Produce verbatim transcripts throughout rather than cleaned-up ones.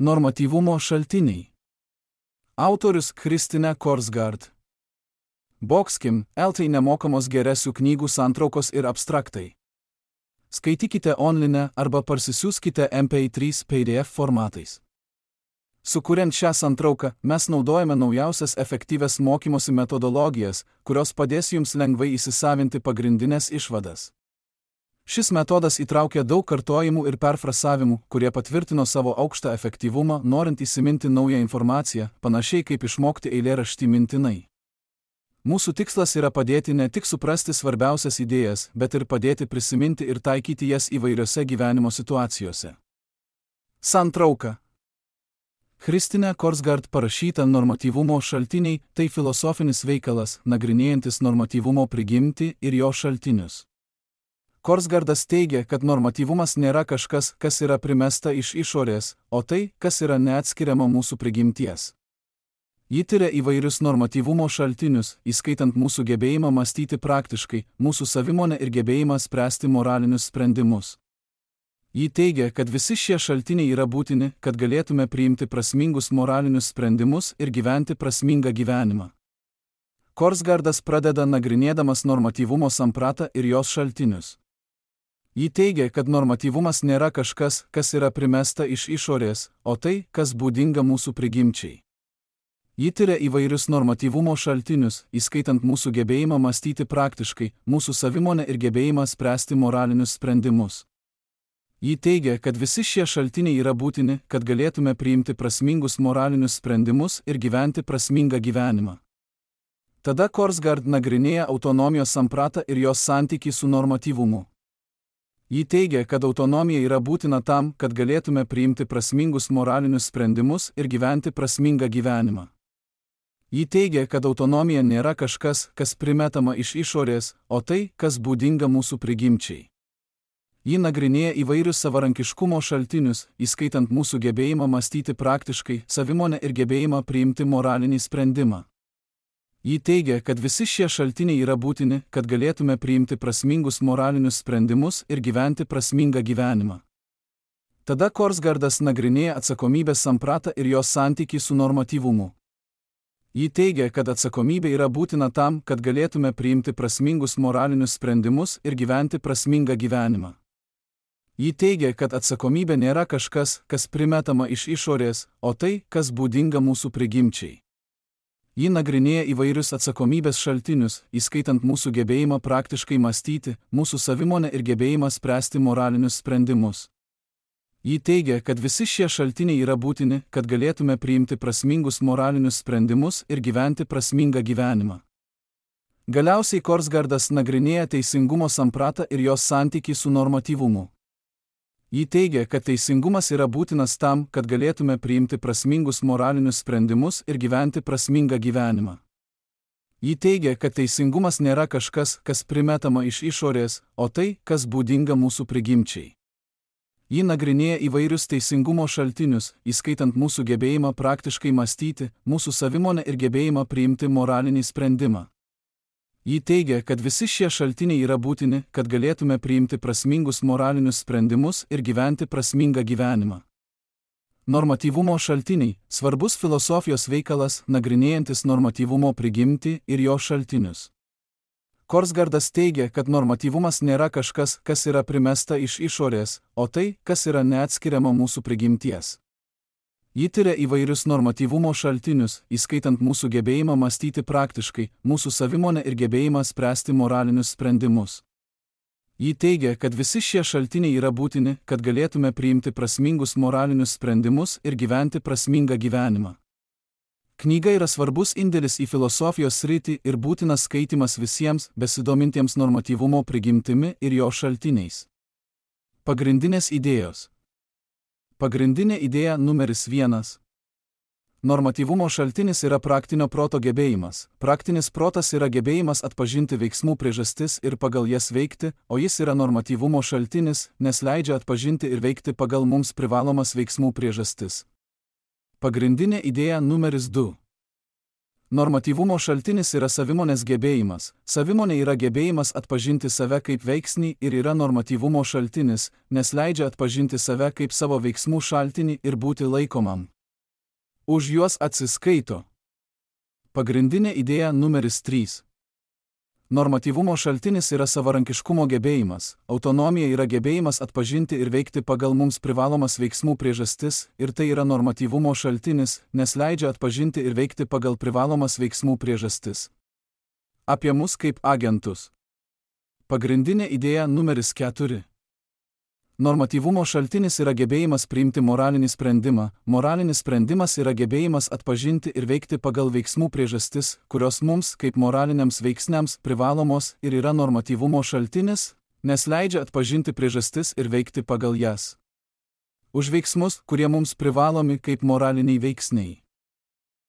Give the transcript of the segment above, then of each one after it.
Normatyvumo šaltiniai. Autorius Christine Korsgaard. Boxkim, eltai nemokamos geresių knygų santraukos ir abstraktai. Skaitykite online arba parsisiųskite M P trys P D F formatais. Sukuriant šią santrauką, mes naudojame naujausias efektyvias mokymosi metodologijas, kurios padės jums lengvai įsisavinti pagrindinės išvadas. Šis metodas įtraukia daug kartojimų ir perfrasavimų, kurie patvirtino savo aukštą efektyvumą, norint įsiminti naują informaciją, panašiai kaip išmokti eilėraštį mintinai. Mūsų tikslas yra padėti ne tik suprasti svarbiausias idėjas, bet ir padėti prisiminti ir taikyti jas įvairiose gyvenimo situacijose. Santrauka. Christine Korsgaard parašyta Normatyvumo šaltiniai – tai filosofinis veikalas, nagrinėjantis normatyvumo prigimtį ir jo šaltinius. Korsgaardas teigia, kad normatyvumas nėra kažkas, kas yra primesta iš išorės, o tai, kas yra neatskiriama mūsų prigimties. Ji tiria įvairius normatyvumo šaltinius, įskaitant mūsų gebėjimą mąstyti praktiškai, mūsų savimonę ir gebėjimą spręsti moralinius sprendimus. Ji teigia, kad visi šie šaltiniai yra būtini, kad galėtume priimti prasmingus moralinius sprendimus ir gyventi prasmingą gyvenimą. Korsgaardas pradeda nagrinėdamas normatyvumo sampratą ir jos šaltinius. Ji teigia, kad normatyvumas nėra kažkas, kas yra primesta iš išorės, o tai, kas būdinga mūsų prigimčiai. Ji tiria įvairius normatyvumo šaltinius, įskaitant mūsų gebėjimą mąstyti praktiškai, mūsų savimonę ir gebėjimą spręsti moralinius sprendimus. Ji teigia, kad visi šie šaltiniai yra būtini, kad galėtume priimti prasmingus moralinius sprendimus ir gyventi prasmingą gyvenimą. Tada Korsgaard nagrinėja autonomijos sampratą ir jos santykį su normatyvumu. Ji teigia, kad autonomija yra būtina tam, kad galėtume priimti prasmingus moralinius sprendimus ir gyventi prasmingą gyvenimą. Ji teigia, kad autonomija nėra kažkas, kas primetama iš išorės, o tai, kas būdinga mūsų prigimčiai. Ji nagrinėja įvairius savarankiškumo šaltinius, įskaitant mūsų gebėjimą mąstyti praktiškai, savimonę ir gebėjimą priimti moralinį sprendimą. Ji teigia, kad visi šie šaltiniai yra būtini, kad galėtume priimti prasmingus moralinius sprendimus ir gyventi prasmingą gyvenimą. Tada Korsgaardas nagrinėja atsakomybės sampratą ir jos santykį su normatyvumu. Ji teigia, kad atsakomybė yra būtina tam, kad galėtume priimti prasmingus moralinius sprendimus ir gyventi prasmingą gyvenimą. Ji teigia, kad atsakomybė nėra kažkas, kas primetama iš išorės, o tai, kas būdinga mūsų prigimčiai. Ji nagrinėja įvairius atsakomybės šaltinius, įskaitant mūsų gebėjimą praktiškai mąstyti, mūsų savimonę ir gebėjimą spręsti moralinius sprendimus. Ji teigia, kad visi šie šaltiniai yra būtini, kad galėtume priimti prasmingus moralinius sprendimus ir gyventi prasmingą gyvenimą. Galiausiai Korsgaardas nagrinėja teisingumo sampratą ir jos santykį su normatyvumu. Ji teigia, kad teisingumas yra būtinas tam, kad galėtume priimti prasmingus moralinius sprendimus ir gyventi prasmingą gyvenimą. Ji teigia, kad teisingumas nėra kažkas, kas primetama iš išorės, o tai, kas būdinga mūsų prigimčiai. Ji nagrinėja įvairius teisingumo šaltinius, įskaitant mūsų gebėjimą praktiškai mąstyti, mūsų savimonę ir gebėjimą priimti moralinį sprendimą. Ji teigia, kad visi šie šaltiniai yra būtini, kad galėtume priimti prasmingus moralinius sprendimus ir gyventi prasmingą gyvenimą. Normatyvumo šaltiniai – svarbus filosofijos veikalas, nagrinėjantis normatyvumo prigimtį ir jo šaltinius. Korsgaardas teigia, kad normatyvumas nėra kažkas, kas yra primesta iš išorės, o tai, kas yra neatskiriama mūsų prigimties. Ji tiria įvairius normatyvumo šaltinius, įskaitant mūsų gebėjimą mąstyti praktiškai, mūsų savimonę ir gebėjimą spręsti moralinius sprendimus. Ji teigia, kad visi šie šaltiniai yra būtini, kad galėtume priimti prasmingus moralinius sprendimus ir gyventi prasmingą gyvenimą. Knyga yra svarbus indėlis į filosofijos sritį ir būtinas skaitimas visiems besidomintiems normatyvumo prigimtimi ir jo šaltiniais. Pagrindinės idėjos. Pagrindinė idėja numeris vienas. Normatyvumo šaltinis yra praktinio proto gebėjimas. Praktinis protas yra gebėjimas atpažinti veiksmų priežastis ir pagal jas veikti, o jis yra normatyvumo šaltinis, nes leidžia atpažinti ir veikti pagal mums privalomas veiksmų priežastis. Pagrindinė idėja numeris du. Normatyvumo šaltinis yra savimonės gebėjimas. Savimonė yra gebėjimas atpažinti save kaip veiksnį ir yra normatyvumo šaltinis, nes leidžia atpažinti save kaip savo veiksmų šaltinį ir būti laikomam. Už juos atsiskaito. Pagrindinė idėja numeris trys. Normatyvumo šaltinis yra savarankiškumo gebėjimas. Autonomija yra gebėjimas atpažinti ir veikti pagal mums privalomas veiksmų priežastis, ir tai yra normatyvumo šaltinis, nes leidžia atpažinti ir veikti pagal privalomas veiksmų priežastis. Apie mus kaip agentus. Pagrindinė idėja numeris keturi. Normatyvumo šaltinis yra gebėjimas priimti moralinį sprendimą. Moralinis sprendimas yra gebėjimas atpažinti ir veikti pagal veiksmų priežastis, kurios mums, kaip moraliniams veiksniams, privalomos ir yra normatyvumo šaltinis, nes leidžia atpažinti priežastis ir veikti pagal jas. Už veiksmus, kurie mums privalomi kaip moraliniai veiksniai.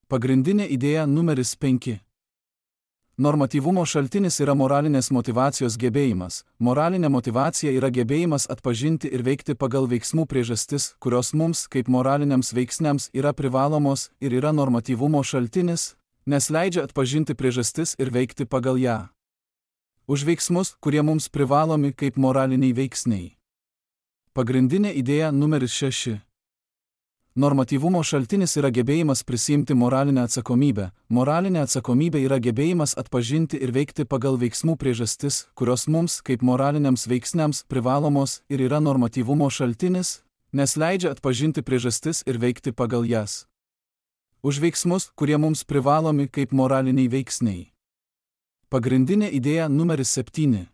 Pagrindinė idėja numeris penki. Normatyvumo šaltinis yra moralinės motyvacijos gebėjimas. Moralinė motyvacija yra gebėjimas atpažinti ir veikti pagal veiksmų priežastis, kurios mums, kaip moraliniams veiksniams, yra privalomos ir yra normatyvumo šaltinis, nes leidžia atpažinti priežastis ir veikti pagal ją. Už veiksmus, kurie mums privalomi kaip moraliniai veiksniai. Pagrindinė idėja numeris šeši. Normatyvumo šaltinis yra gebėjimas prisiimti moralinę atsakomybę. Moralinė atsakomybė yra gebėjimas atpažinti ir veikti pagal veiksmų priežastis, kurios mums, kaip moraliniams veiksniams, privalomos ir yra normatyvumo šaltinis, nes leidžia atpažinti priežastis ir veikti pagal jas. Už veiksmus, kurie mums privalomi kaip moraliniai veiksniai. Pagrindinė idėja numeris septyni.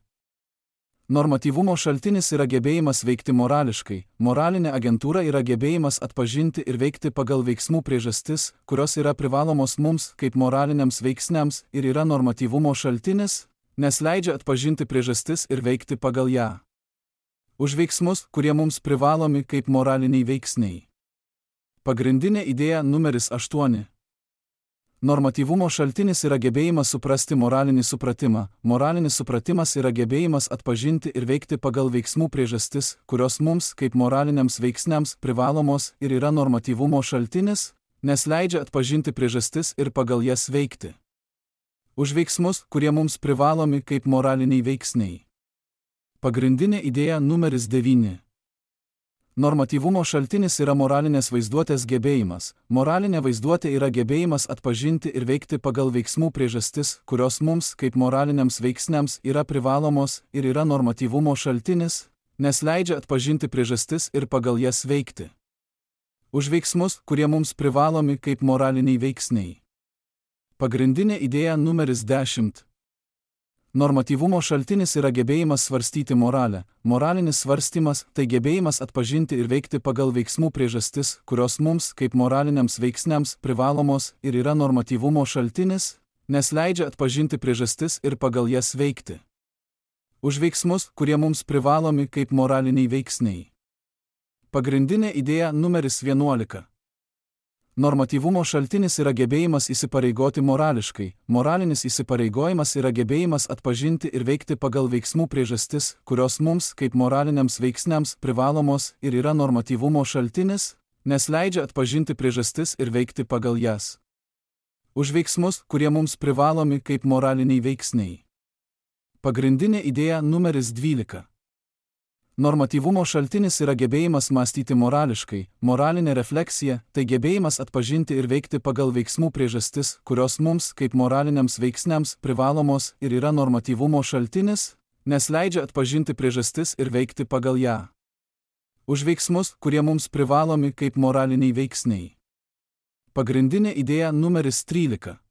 Normatyvumo šaltinis yra gebėjimas veikti morališkai. Moralinė agentūra yra gebėjimas atpažinti ir veikti pagal veiksmų priežastis, kurios yra privalomos mums kaip moraliniams veiksniams ir yra normatyvumo šaltinis, nes leidžia atpažinti priežastis ir veikti pagal ją. Už veiksmus, kurie mums privalomi kaip moraliniai veiksniai. Pagrindinė idėja numeris aštuoni. Normatyvumo šaltinis yra gebėjimas suprasti moralinį supratimą. Moralinis supratimas yra gebėjimas atpažinti ir veikti pagal veiksmų priežastis, kurios mums, kaip moraliniams veiksniams, privalomos ir yra normatyvumo šaltinis, nes leidžia atpažinti priežastis ir pagal jas veikti. Už veiksmus, kurie mums privalomi kaip moraliniai veiksniai. Pagrindinė idėja numeris devyni. Normatyvumo šaltinis yra moralinės vaizduotės gebėjimas. Moralinė vaizduotė yra gebėjimas atpažinti ir veikti pagal veiksmų priežastis, kurios mums, kaip moraliniams veiksniams, yra privalomos ir yra normatyvumo šaltinis, nes leidžia atpažinti priežastis ir pagal jas veikti. Už veiksmus, kurie mums privalomi kaip moraliniai veiksniai. Pagrindinė idėja numeris dešimt. Normatyvumo šaltinis yra gebėjimas svarstyti moralę. Moralinis svarstymas – tai gebėjimas atpažinti ir veikti pagal veiksmų priežastis, kurios mums, kaip moraliniams veiksniams, privalomos ir yra normatyvumo šaltinis, nes leidžia atpažinti priežastis ir pagal jas veikti. Už veiksmus, kurie mums privalomi kaip moraliniai veiksniai. Pagrindinė idėja numeris vienuolika. Normatyvumo šaltinis yra gebėjimas įsipareigoti morališkai. Moralinis įsipareigojimas yra gebėjimas atpažinti ir veikti pagal veiksmų priežastis, kurios mums, kaip moraliniams veiksniams, privalomos ir yra normatyvumo šaltinis, nes leidžia atpažinti priežastis ir veikti pagal jas. Už veiksmus, kurie mums privalomi kaip moraliniai veiksniai. Pagrindinė idėja numeris dvylika. Normatyvumo šaltinis yra gebėjimas mąstyti morališkai. Moralinė refleksija – tai gebėjimas atpažinti ir veikti pagal veiksmų priežastis, kurios mums, kaip moraliniams veiksniams, privalomos ir yra normatyvumo šaltinis, nes leidžia atpažinti priežastis ir veikti pagal ją. Už veiksmus, kurie mums privalomi kaip moraliniai veiksniai. Pagrindinė idėja numeris trylika.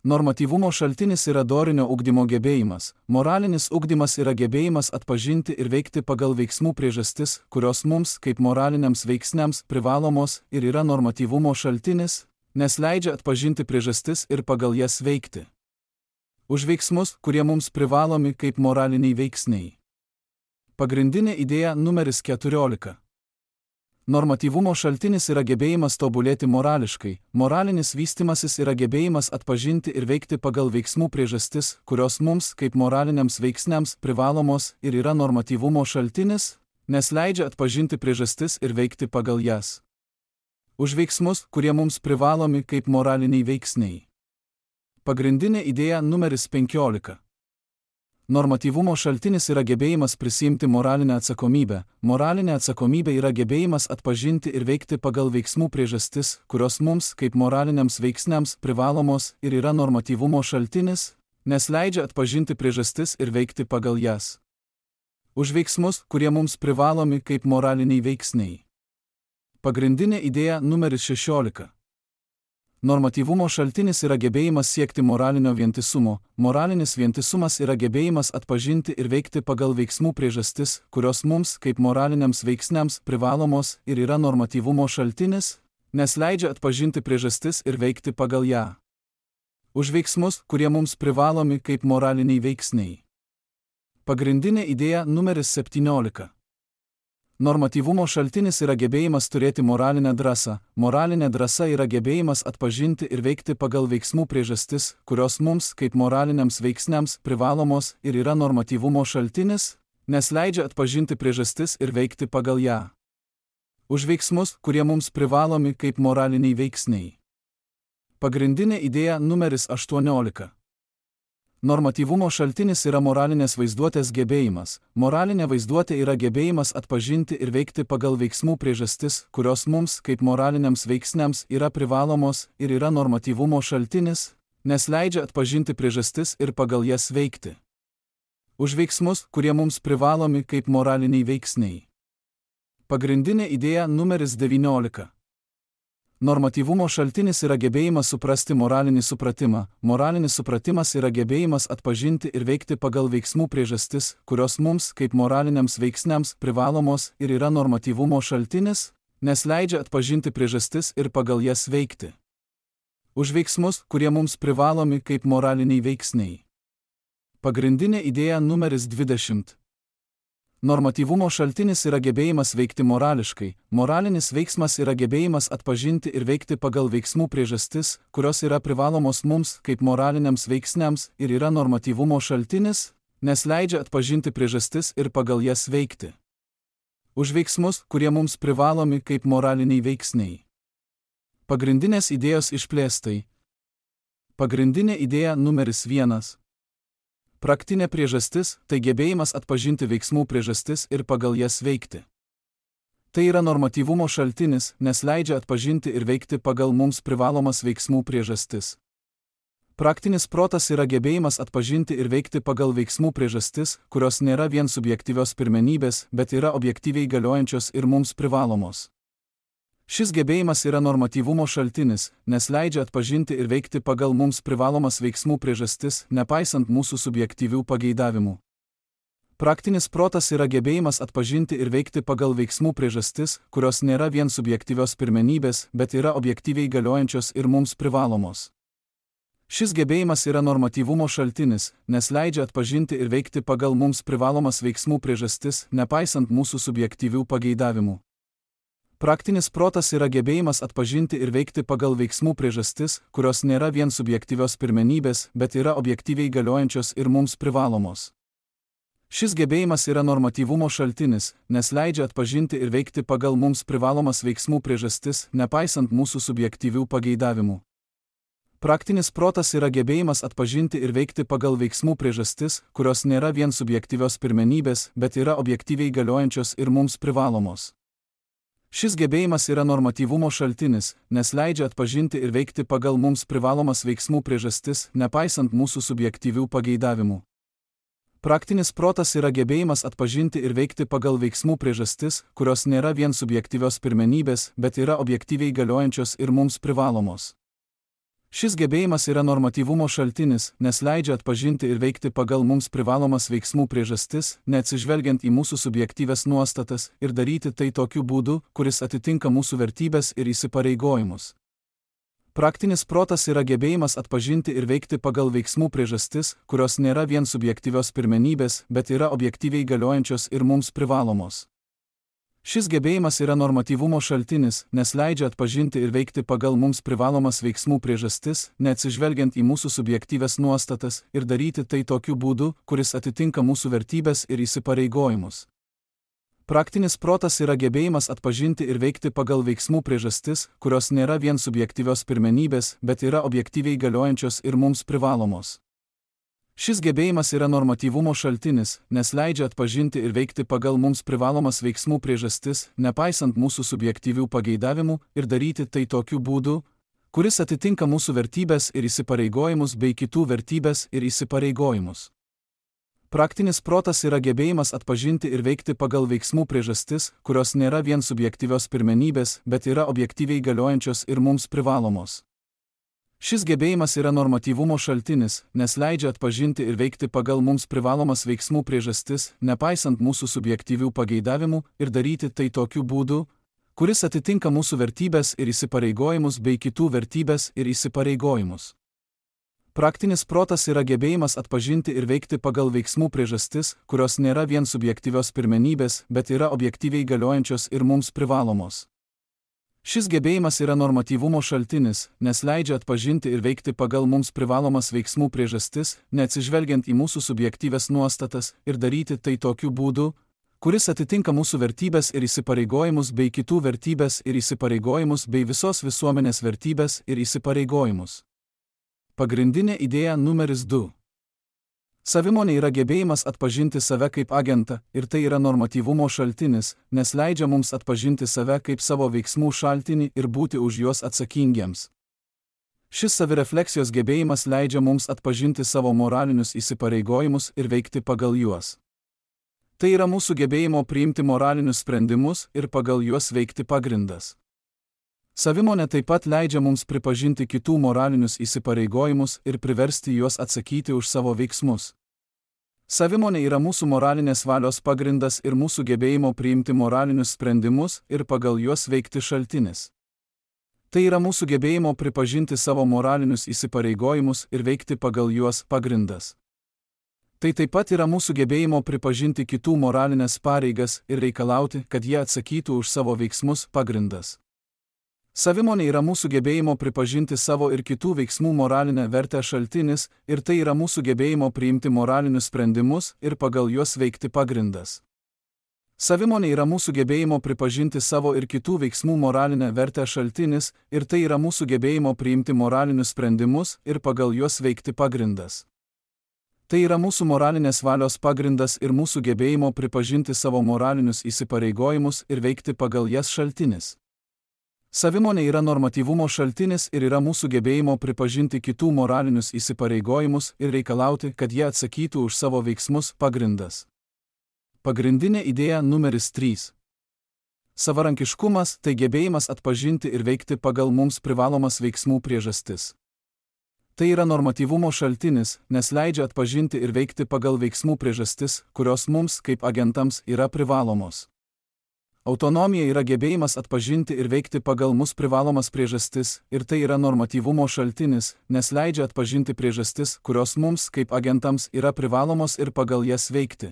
Normatyvumo šaltinis yra dorinio ugdymo gebėjimas. Moralinis ugdymas yra gebėjimas atpažinti ir veikti pagal veiksmų priežastis, kurios mums, kaip moraliniams veiksniams, privalomos ir yra normatyvumo šaltinis, nes leidžia atpažinti priežastis ir pagal jas veikti. Už veiksmus, kurie mums privalomi kaip moraliniai veiksniai. Pagrindinė idėja numeris keturiolika. Normatyvumo šaltinis yra gebėjimas tobulėti morališkai. Moralinis vystimasis yra gebėjimas atpažinti ir veikti pagal veiksmų priežastis, kurios mums, kaip moraliniams veiksniams, privalomos ir yra normatyvumo šaltinis, nes leidžia atpažinti priežastis ir veikti pagal jas. Už veiksmus, kurie mums privalomi kaip moraliniai veiksniai. Pagrindinė idėja numeris penkiolika. Normatyvumo šaltinis yra gebėjimas prisiimti moralinę atsakomybę. Moralinė atsakomybė yra gebėjimas atpažinti ir veikti pagal veiksmų priežastis, kurios mums, kaip moraliniams veiksniams, privalomos ir yra normatyvumo šaltinis, nes leidžia atpažinti priežastis ir veikti pagal jas. Už veiksmus, kurie mums privalomi kaip moraliniai veiksniai. Pagrindinė idėja numeris šešiolika. Normatyvumo šaltinis yra gebėjimas siekti moralinio vientisumo. Moralinis vientisumas yra gebėjimas atpažinti ir veikti pagal veiksmų priežastis, kurios mums, kaip moraliniams veiksniams, privalomos ir yra normatyvumo šaltinis, nes leidžia atpažinti priežastis ir veikti pagal ją. Už veiksmus, kurie mums privalomi kaip moraliniai veiksniai. Pagrindinė idėja numeris septyniolika. Normatyvumo šaltinis yra gebėjimas turėti moralinę drąsą. Moralinė drąsa yra gebėjimas atpažinti ir veikti pagal veiksmų priežastis, kurios mums, kaip moraliniams veiksniams, privalomos ir yra normatyvumo šaltinis, nes leidžia atpažinti priežastis ir veikti pagal ją. Už veiksmus, kurie mums privalomi kaip moraliniai veiksniai. Pagrindinė idėja numeris aštuoniolika. Normatyvumo šaltinis yra moralinės vaizduotės gebėjimas. Moralinė vaizduotė yra gebėjimas atpažinti ir veikti pagal veiksmų priežastis, kurios mums, kaip moraliniams veiksniams, yra privalomos ir yra normatyvumo šaltinis, nes leidžia atpažinti priežastis ir pagal jas veikti. Už veiksmus, kurie mums privalomi kaip moraliniai veiksniai. Pagrindinė idėja numeris devyniolika. Normatyvumo šaltinis yra gebėjimas suprasti moralinį supratimą. Moralinis supratimas yra gebėjimas atpažinti ir veikti pagal veiksmų priežastis, kurios mums, kaip moraliniams veiksniams, privalomos ir yra normatyvumo šaltinis, nes leidžia atpažinti priežastis ir pagal jas veikti. Už veiksmus, kurie mums privalomi kaip moraliniai veiksniai. Pagrindinė idėja numeris dvidešimt. Normatyvumo šaltinis yra gebėjimas veikti morališkai. Moralinis veiksmas yra gebėjimas atpažinti ir veikti pagal veiksmų priežastis, kurios yra privalomos mums, kaip moraliniams veiksniams, ir yra normatyvumo šaltinis, nes leidžia atpažinti priežastis ir pagal jas veikti. Už veiksmus, kurie mums privalomi kaip moraliniai veiksniai. Pagrindinės idėjos išplėstai. Pagrindinė idėja numeris vienas. Praktinė priežastis – tai gebėjimas atpažinti veiksmų priežastis ir pagal jas veikti. Tai yra normatyvumo šaltinis, nes leidžia atpažinti ir veikti pagal mums privalomas veiksmų priežastis. Praktinis protas yra gebėjimas atpažinti ir veikti pagal veiksmų priežastis, kurios nėra vien subjektyvios pirmenybės, bet yra objektyviai galiojančios ir mums privalomos. Šis gebėjimas yra normatyvumo šaltinis, nes leidžia atpažinti ir veikti pagal mums privalomas veiksmų priežastis, nepaisant mūsų subjektyvių pageidavimų. Praktinis protas yra gebėjimas atpažinti ir veikti pagal veiksmų priežastis, kurios nėra vien subjektyvios pirmenybės, bet yra objektyviai galiojančios ir mums privalomos. Šis gebėjimas yra normatyvumo šaltinis, nes leidžia atpažinti ir veikti pagal mums privalomas veiksmų priežastis, nepaisant mūsų subjektyvių pageidavimų. Praktinis protas yra gebėjimas atpažinti ir veikti pagal veiksmų priežastis, kurios nėra vien subjektyvios pirmenybės, bet yra objektyviai galiojančios ir mums privalomos. Šis gebėjimas yra normatyvumo šaltinis, nes leidžia atpažinti ir veikti pagal mums privalomas veiksmų priežastis, nepaisant mūsų subjektyvių pageidavimų. Praktinis protas yra gebėjimas atpažinti ir veikti pagal veiksmų priežastis, kurios nėra vien subjektyvios pirmenybės, bet yra objektyviai galiojančios ir mums privalomos. Šis gebėjimas yra normatyvumo šaltinis, nes leidžia atpažinti ir veikti pagal mums privalomas veiksmų priežastis, nepaisant mūsų subjektyvių pageidavimų. Praktinis protas yra gebėjimas atpažinti ir veikti pagal veiksmų priežastis, kurios nėra vien subjektyvios pirmenybės, bet yra objektyviai galiojančios ir mums privalomos. Šis gebėjimas yra normatyvumo šaltinis, nes leidžia atpažinti ir veikti pagal mums privalomas veiksmų priežastis, neatsižvelgiant į mūsų subjektyves nuostatas, ir daryti tai tokiu būdu, kuris atitinka mūsų vertybes ir įsipareigojimus. Praktinis protas yra gebėjimas atpažinti ir veikti pagal veiksmų priežastis, kurios nėra vien subjektyvios pirmenybės, bet yra objektyviai galiojančios ir mums privalomos. Šis gebėjimas yra normatyvumo šaltinis, nes leidžia atpažinti ir veikti pagal mums privalomas veiksmų priežastis, neatsižvelgiant į mūsų subjektyves nuostatas, ir daryti tai tokiu būdu, kuris atitinka mūsų vertybes ir įsipareigojimus. Praktinis protas yra gebėjimas atpažinti ir veikti pagal veiksmų priežastis, kurios nėra vien subjektyvios pirmenybės, bet yra objektyviai galiojančios ir mums privalomos. Šis gebėjimas yra normatyvumo šaltinis, nes leidžia atpažinti ir veikti pagal mums privalomas veiksmų priežastis, nepaisant mūsų subjektyvių pageidavimų, ir daryti tai tokiu būdu, kuris atitinka mūsų vertybės ir įsipareigojimus bei kitų vertybės ir įsipareigojimus. Praktinis protas yra gebėjimas atpažinti ir veikti pagal veiksmų priežastis, kurios nėra vien subjektyvios pirmenybės, bet yra objektyviai galiojančios ir mums privalomos. Šis gebėjimas yra normatyvumo šaltinis, nes leidžia atpažinti ir veikti pagal mums privalomas veiksmų priežastis, nepaisant mūsų subjektyvių pageidavimų, ir daryti tai tokiu būdu, kuris atitinka mūsų vertybės ir įsipareigojimus bei kitų vertybės ir įsipareigojimus. Praktinis protas yra gebėjimas atpažinti ir veikti pagal veiksmų priežastis, kurios nėra vien subjektyvios pirmenybės, bet yra objektyviai galiojančios ir mums privalomos. Šis gebėjimas yra normatyvumo šaltinis, nes leidžia atpažinti ir veikti pagal mums privalomas veiksmų priežastis, neatsižvelgiant į mūsų subjektyvias nuostatas, ir daryti tai tokiu būdu, kuris atitinka mūsų vertybės ir įsipareigojimus bei kitų vertybės ir įsipareigojimus bei visos visuomenės vertybės ir įsipareigojimus. Pagrindinė idėja numeris du. Savimonė yra gebėjimas atpažinti save kaip agentą, ir tai yra normatyvumo šaltinis, nes leidžia mums atpažinti save kaip savo veiksmų šaltinį ir būti už juos atsakingiems. Šis savirefleksijos gebėjimas leidžia mums atpažinti savo moralinius įsipareigojimus ir veikti pagal juos. Tai yra mūsų gebėjimo priimti moralinius sprendimus ir pagal juos veikti pagrindas. Savimonė taip pat leidžia mums pripažinti kitų moralinius įsipareigojimus ir priversti juos atsakyti už savo veiksmus. Savimonė yra mūsų moralinės valios pagrindas ir mūsų gebėjimo priimti moralinius sprendimus ir pagal juos veikti šaltinis. Tai yra mūsų gebėjimo pripažinti savo moralinius įsipareigojimus ir veikti pagal juos pagrindas. Tai taip pat yra mūsų gebėjimo pripažinti kitų moralinės pareigas ir reikalauti, kad jie atsakytų už savo veiksmus pagrindas. Savimonė yra mūsų gebėjimo pripažinti savo ir kitų veiksmų moralinę vertę šaltinis, ir tai yra mūsų gebėjimo priimti moralinius sprendimus ir pagal juos veikti pagrindas. Savimonė yra mūsų gebėjimo pripažinti savo ir kitų veiksmų moralinę vertę šaltinis, ir tai yra mūsų gebėjimo priimti moralinius sprendimus ir pagal juos veikti pagrindas. Tai yra mūsų moralinės valios pagrindas ir mūsų gebėjimo pripažinti savo moralinius įsipareigojimus ir veikti pagal jas šaltinis. Savimonė yra normatyvumo šaltinis ir yra mūsų gebėjimo pripažinti kitų moralinius įsipareigojimus ir reikalauti, kad jie atsakytų už savo veiksmus pagrindas. Pagrindinė idėja numeris trys. Savarankiškumas – tai gebėjimas atpažinti ir veikti pagal mums privalomas veiksmų priežastis. Tai yra normatyvumo šaltinis, nes leidžia atpažinti ir veikti pagal veiksmų priežastis, kurios mums, kaip agentams, yra privalomos. Autonomija yra gebėjimas atpažinti ir veikti pagal mus privalomas priežastis, ir tai yra normatyvumo šaltinis, nes leidžia atpažinti priežastis, kurios mums, kaip agentams, yra privalomos ir pagal jas veikti.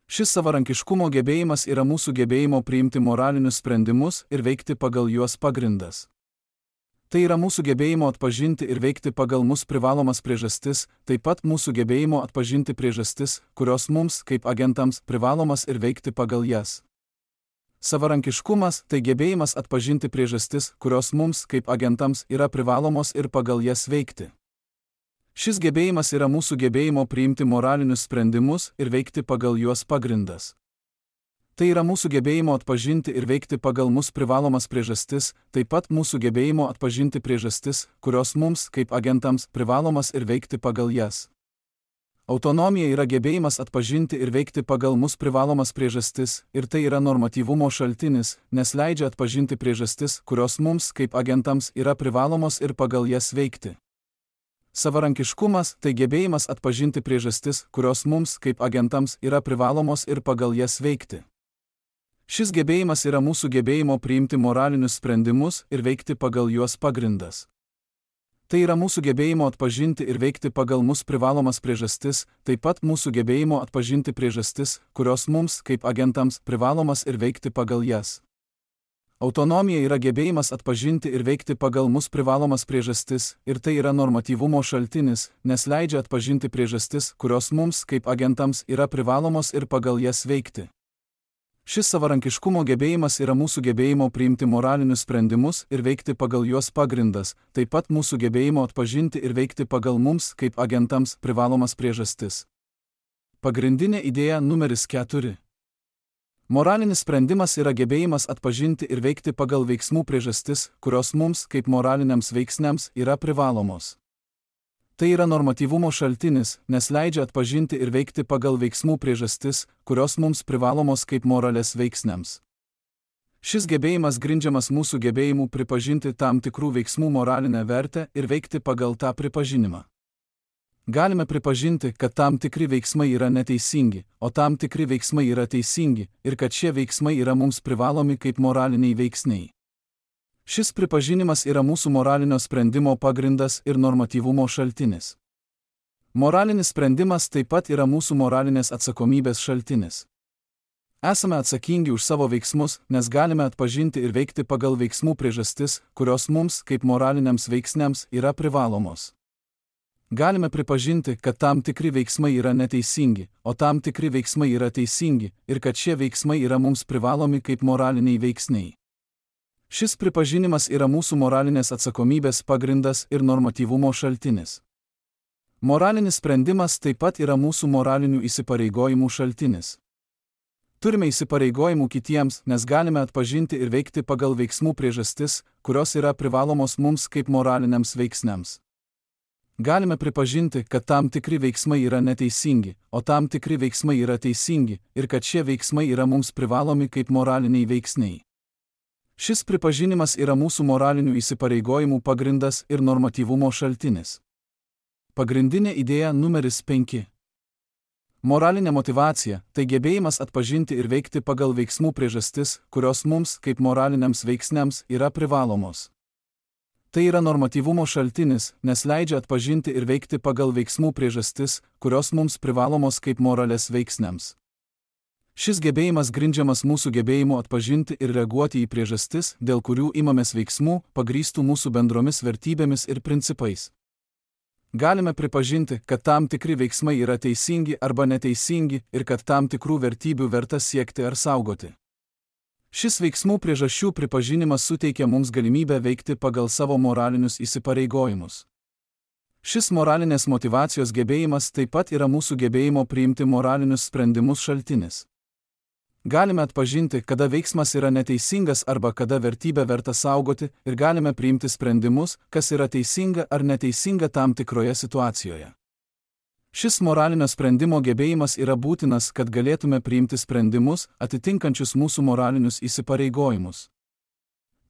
Šis savarankiškumo gebėjimas yra mūsų gebėjimo priimti moralinius sprendimus ir veikti pagal juos pagrindas. Tai yra mūsų gebėjimo atpažinti ir veikti pagal mus privalomas priežastis, taip pat mūsų gebėjimo atpažinti priežastis, kurios mums, kaip agentams, privalomas ir veikti pagal jas. Savarankiškumas – tai gebėjimas atpažinti priežastis, kurios mums, kaip agentams, yra privalomos ir pagal jas veikti. Šis gebėjimas yra mūsų gebėjimo priimti moralinius sprendimus ir veikti pagal juos pagrindas. Tai yra mūsų gebėjimo atpažinti ir veikti pagal mus privalomas priežastis, taip pat mūsų gebėjimo atpažinti priežastis, kurios mums, kaip agentams, privalomas ir veikti pagal jas. Autonomija yra gebėjimas atpažinti ir veikti pagal mus privalomas priežastis, ir tai yra normatyvumo šaltinis, nes leidžia atpažinti priežastis, kurios mums, kaip agentams, yra privalomos ir pagal jas veikti. Savarankiškumas – tai gebėjimas atpažinti priežastis, kurios mums, kaip agentams, yra privalomos ir pagal jas veikti. Šis gebėjimas yra mūsų gebėjimo priimti moralinius sprendimus ir veikti pagal juos pagrindas. Tai yra mūsų gebėjimo atpažinti ir veikti pagal mus privalomas priežastis, taip pat mūsų gebėjimo atpažinti priežastis, kurios mums, kaip agentams, privalomas ir veikti pagal jas. Autonomija yra gebėjimas atpažinti ir veikti pagal mus privalomas priežastis, ir tai yra normatyvumo šaltinis, nes leidžia atpažinti priežastis, kurios mums, kaip agentams, yra privalomos ir pagal jas veikti. Šis savarankiškumo gebėjimas yra mūsų gebėjimo priimti moralinius sprendimus ir veikti pagal juos pagrindas, taip pat mūsų gebėjimo atpažinti ir veikti pagal mums kaip agentams privalomas priežastis. Pagrindinė idėja numeris keturi. Moralinis sprendimas yra gebėjimas atpažinti ir veikti pagal veiksmų priežastis, kurios mums kaip moraliniams veiksniams yra privalomos. Tai yra normatyvumo šaltinis, nes leidžia atpažinti ir veikti pagal veiksmų priežastis, kurios mums privalomos kaip moralės veiksniams. Šis gebėjimas grindžiamas mūsų gebėjimu pripažinti tam tikrų veiksmų moralinę vertę ir veikti pagal tą pripažinimą. Galime pripažinti, kad tam tikri veiksmai yra neteisingi, o tam tikri veiksmai yra teisingi, ir kad šie veiksmai yra mums privalomi kaip moraliniai veiksniai. Šis pripažinimas yra mūsų moralinio sprendimo pagrindas ir normatyvumo šaltinis. Moralinis sprendimas taip pat yra mūsų moralinės atsakomybės šaltinis. Esame atsakingi už savo veiksmus, nes galime atpažinti ir veikti pagal veiksmų priežastis, kurios mums, kaip moraliniams veiksniams, yra privalomos. Galime pripažinti, kad tam tikri veiksmai yra neteisingi, o tam tikri veiksmai yra teisingi, ir kad šie veiksmai yra mums privalomi kaip moraliniai veiksniai. Šis pripažinimas yra mūsų moralinės atsakomybės pagrindas ir normatyvumo šaltinis. Moralinis sprendimas taip pat yra mūsų moralinių įsipareigojimų šaltinis. Turime įsipareigojimų kitiems, nes galime atpažinti ir veikti pagal veiksmų priežastis, kurios yra privalomos mums kaip moraliniams veiksniams. Galime pripažinti, kad tam tikri veiksmai yra neteisingi, o tam tikri veiksmai yra teisingi, ir kad šie veiksmai yra mums privalomi kaip moraliniai veiksniai. Šis pripažinimas yra mūsų moralinių įsipareigojimų pagrindas ir normatyvumo šaltinis. Pagrindinė idėja numeris penki. Moralinė motyvacija – tai gebėjimas atpažinti ir veikti pagal veiksmų priežastis, kurios mums, kaip moraliniams veiksniams, yra privalomos. Tai yra normatyvumo šaltinis, nes leidžia atpažinti ir veikti pagal veiksmų priežastis, kurios mums privalomos kaip moralės veiksniams. Šis gebėjimas grindžiamas mūsų gebėjimu atpažinti ir reaguoti į priežastis, dėl kurių imamės veiksmų, pagrįstų mūsų bendromis vertybėmis ir principais. Galime pripažinti, kad tam tikri veiksmai yra teisingi arba neteisingi ir kad tam tikrų vertybių verta siekti ar saugoti. Šis veiksmų priežasčių pripažinimas suteikia mums galimybę veikti pagal savo moralinius įsipareigojimus. Šis moralinės motyvacijos gebėjimas taip pat yra mūsų gebėjimo priimti moralinius sprendimus šaltinis. Galime atpažinti, kada veiksmas yra neteisingas arba kada vertybę verta saugoti ir galime priimti sprendimus, kas yra teisinga ar neteisinga tam tikroje situacijoje. Šis moralinio sprendimo gebėjimas yra būtinas, kad galėtume priimti sprendimus, atitinkančius mūsų moralinius įsipareigojimus.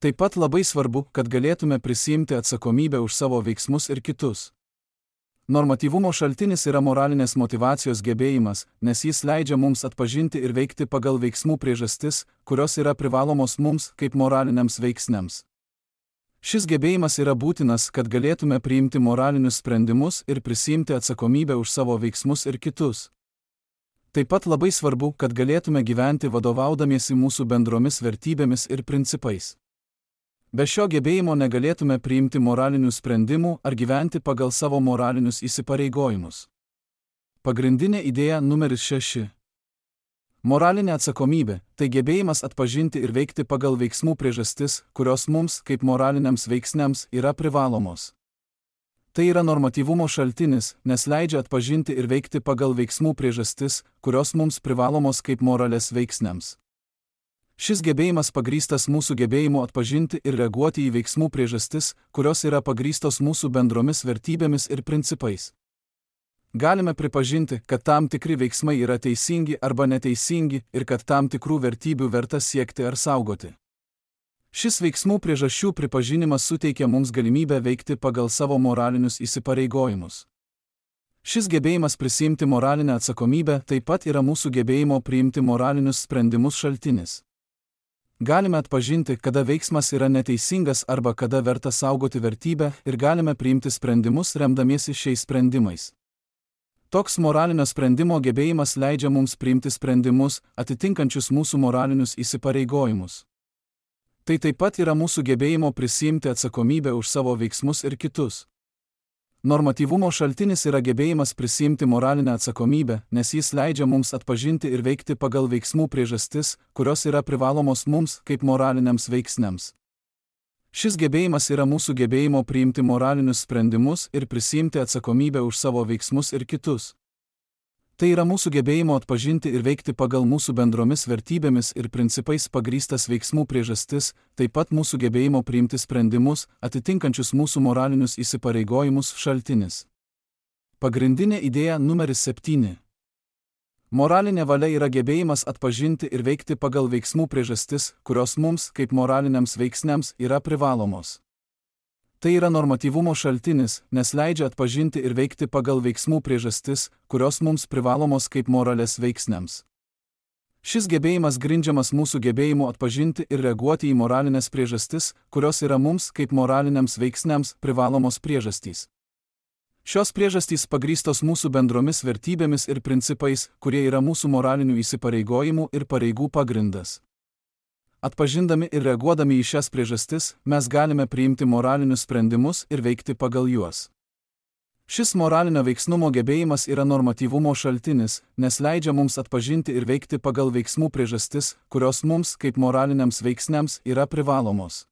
Taip pat labai svarbu, kad galėtume prisiimti atsakomybę už savo veiksmus ir kitus. Normatyvumo šaltinis yra moralinės motyvacijos gebėjimas, nes jis leidžia mums atpažinti ir veikti pagal veiksmų priežastis, kurios yra privalomos mums kaip moraliniams veiksniams. Šis gebėjimas yra būtinas, kad galėtume priimti moralinius sprendimus ir prisiimti atsakomybę už savo veiksmus ir kitus. Taip pat labai svarbu, kad galėtume gyventi vadovaudamiesi mūsų bendromis vertybėmis ir principais. Be šio gebėjimo negalėtume priimti moralinių sprendimų ar gyventi pagal savo moralinius įsipareigojimus. Pagrindinė idėja numeris šeši. Moralinė atsakomybė – tai gebėjimas atpažinti ir veikti pagal veiksmų priežastis, kurios mums, kaip moraliniams veiksniams, yra privalomos. Tai yra normatyvumo šaltinis, nes leidžia atpažinti ir veikti pagal veiksmų priežastis, kurios mums privalomos kaip moralės veiksniams. Šis gebėjimas pagrįstas mūsų gebėjimu atpažinti ir reaguoti į veiksmų priežastis, kurios yra pagrįstos mūsų bendromis vertybėmis ir principais. Galime pripažinti, kad tam tikri veiksmai yra teisingi arba neteisingi ir kad tam tikrų vertybių verta siekti ar saugoti. Šis veiksmų priežasčių pripažinimas suteikia mums galimybę veikti pagal savo moralinius įsipareigojimus. Šis gebėjimas prisiimti moralinę atsakomybę taip pat yra mūsų gebėjimo priimti moralinius sprendimus šaltinis. Galime atpažinti, kada veiksmas yra neteisingas arba kada verta saugoti vertybę ir galime priimti sprendimus remdamiesi šiais sprendimais. Toks moralinio sprendimo gebėjimas leidžia mums priimti sprendimus, atitinkančius mūsų moralinius įsipareigojimus. Tai taip pat yra mūsų gebėjimo prisiimti atsakomybę už savo veiksmus ir kitus. Normatyvumo šaltinis yra gebėjimas prisiimti moralinę atsakomybę, nes jis leidžia mums atpažinti ir veikti pagal veiksmų priežastis, kurios yra privalomos mums kaip moraliniams veiksniams. Šis gebėjimas yra mūsų gebėjimo priimti moralinius sprendimus ir prisiimti atsakomybę už savo veiksmus ir kitus. Tai yra mūsų gebėjimo atpažinti ir veikti pagal mūsų bendromis vertybėmis ir principais pagrįstas veiksmų priežastis, taip pat mūsų gebėjimo priimti sprendimus, atitinkančius mūsų moralinius įsipareigojimus šaltinis. Pagrindinė idėja numeris septyni. Moralinė valia yra gebėjimas atpažinti ir veikti pagal veiksmų priežastis, kurios mums, kaip moraliniams veiksniams, yra privalomos. Tai yra normatyvumo šaltinis, nes leidžia atpažinti ir veikti pagal veiksmų priežastis, kurios mums privalomos kaip moralės veiksniams. Šis gebėjimas grindžiamas mūsų gebėjimu atpažinti ir reaguoti į moralinės priežastis, kurios yra mums kaip moraliniams veiksniams privalomos priežastys. Šios priežastys pagrįstos mūsų bendromis vertybėmis ir principais, kurie yra mūsų moralinių įsipareigojimų ir pareigų pagrindas. Atpažindami ir reaguodami į šias priežastis, mes galime priimti moralinius sprendimus ir veikti pagal juos. Šis moralinio veiksnumo gebėjimas yra normatyvumo šaltinis, nes leidžia mums atpažinti ir veikti pagal veiksmų priežastis, kurios mums, kaip moraliniams veiksniams, yra privalomos.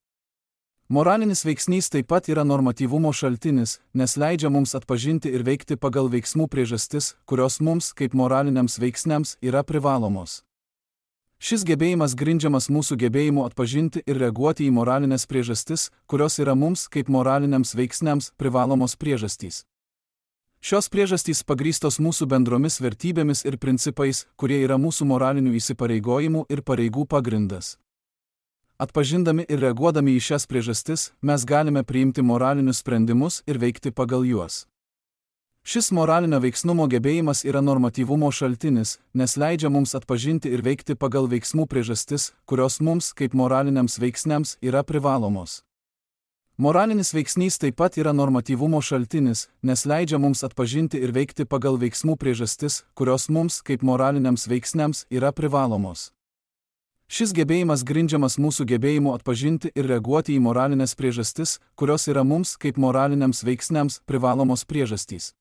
Moralinis veiksnys taip pat yra normatyvumo šaltinis, nes leidžia mums atpažinti ir veikti pagal veiksmų priežastis, kurios mums, kaip moraliniams veiksniams, yra privalomos. Šis gebėjimas grindžiamas mūsų gebėjimu atpažinti ir reaguoti į moralinės priežastis, kurios yra mums, kaip moraliniams veiksniams, privalomos priežastys. Šios priežastys pagrįstos mūsų bendromis vertybėmis ir principais, kurie yra mūsų moralinių įsipareigojimų ir pareigų pagrindas. Atpažindami ir reaguodami į šias priežastis, mes galime priimti moralinius sprendimus ir veikti pagal juos. Šis moralinio veiksnumo gebėjimas yra normatyvumo šaltinis, nes leidžia mums atpažinti ir veikti pagal veiksmų priežastis, kurios mums, kaip moraliniams veiksniams, yra privalomos. Moralinis veiksnys taip pat yra normatyvumo šaltinis, nes leidžia mums atpažinti ir veikti pagal veiksmų priežastis, kurios mums, kaip moraliniams veiksniams, yra privalomos. Šis gebėjimas grindžiamas mūsų gebėjimu atpažinti ir reaguoti į moralinės priežastis, kurios yra mums, kaip moraliniams veiksniams, privalomos priežastys.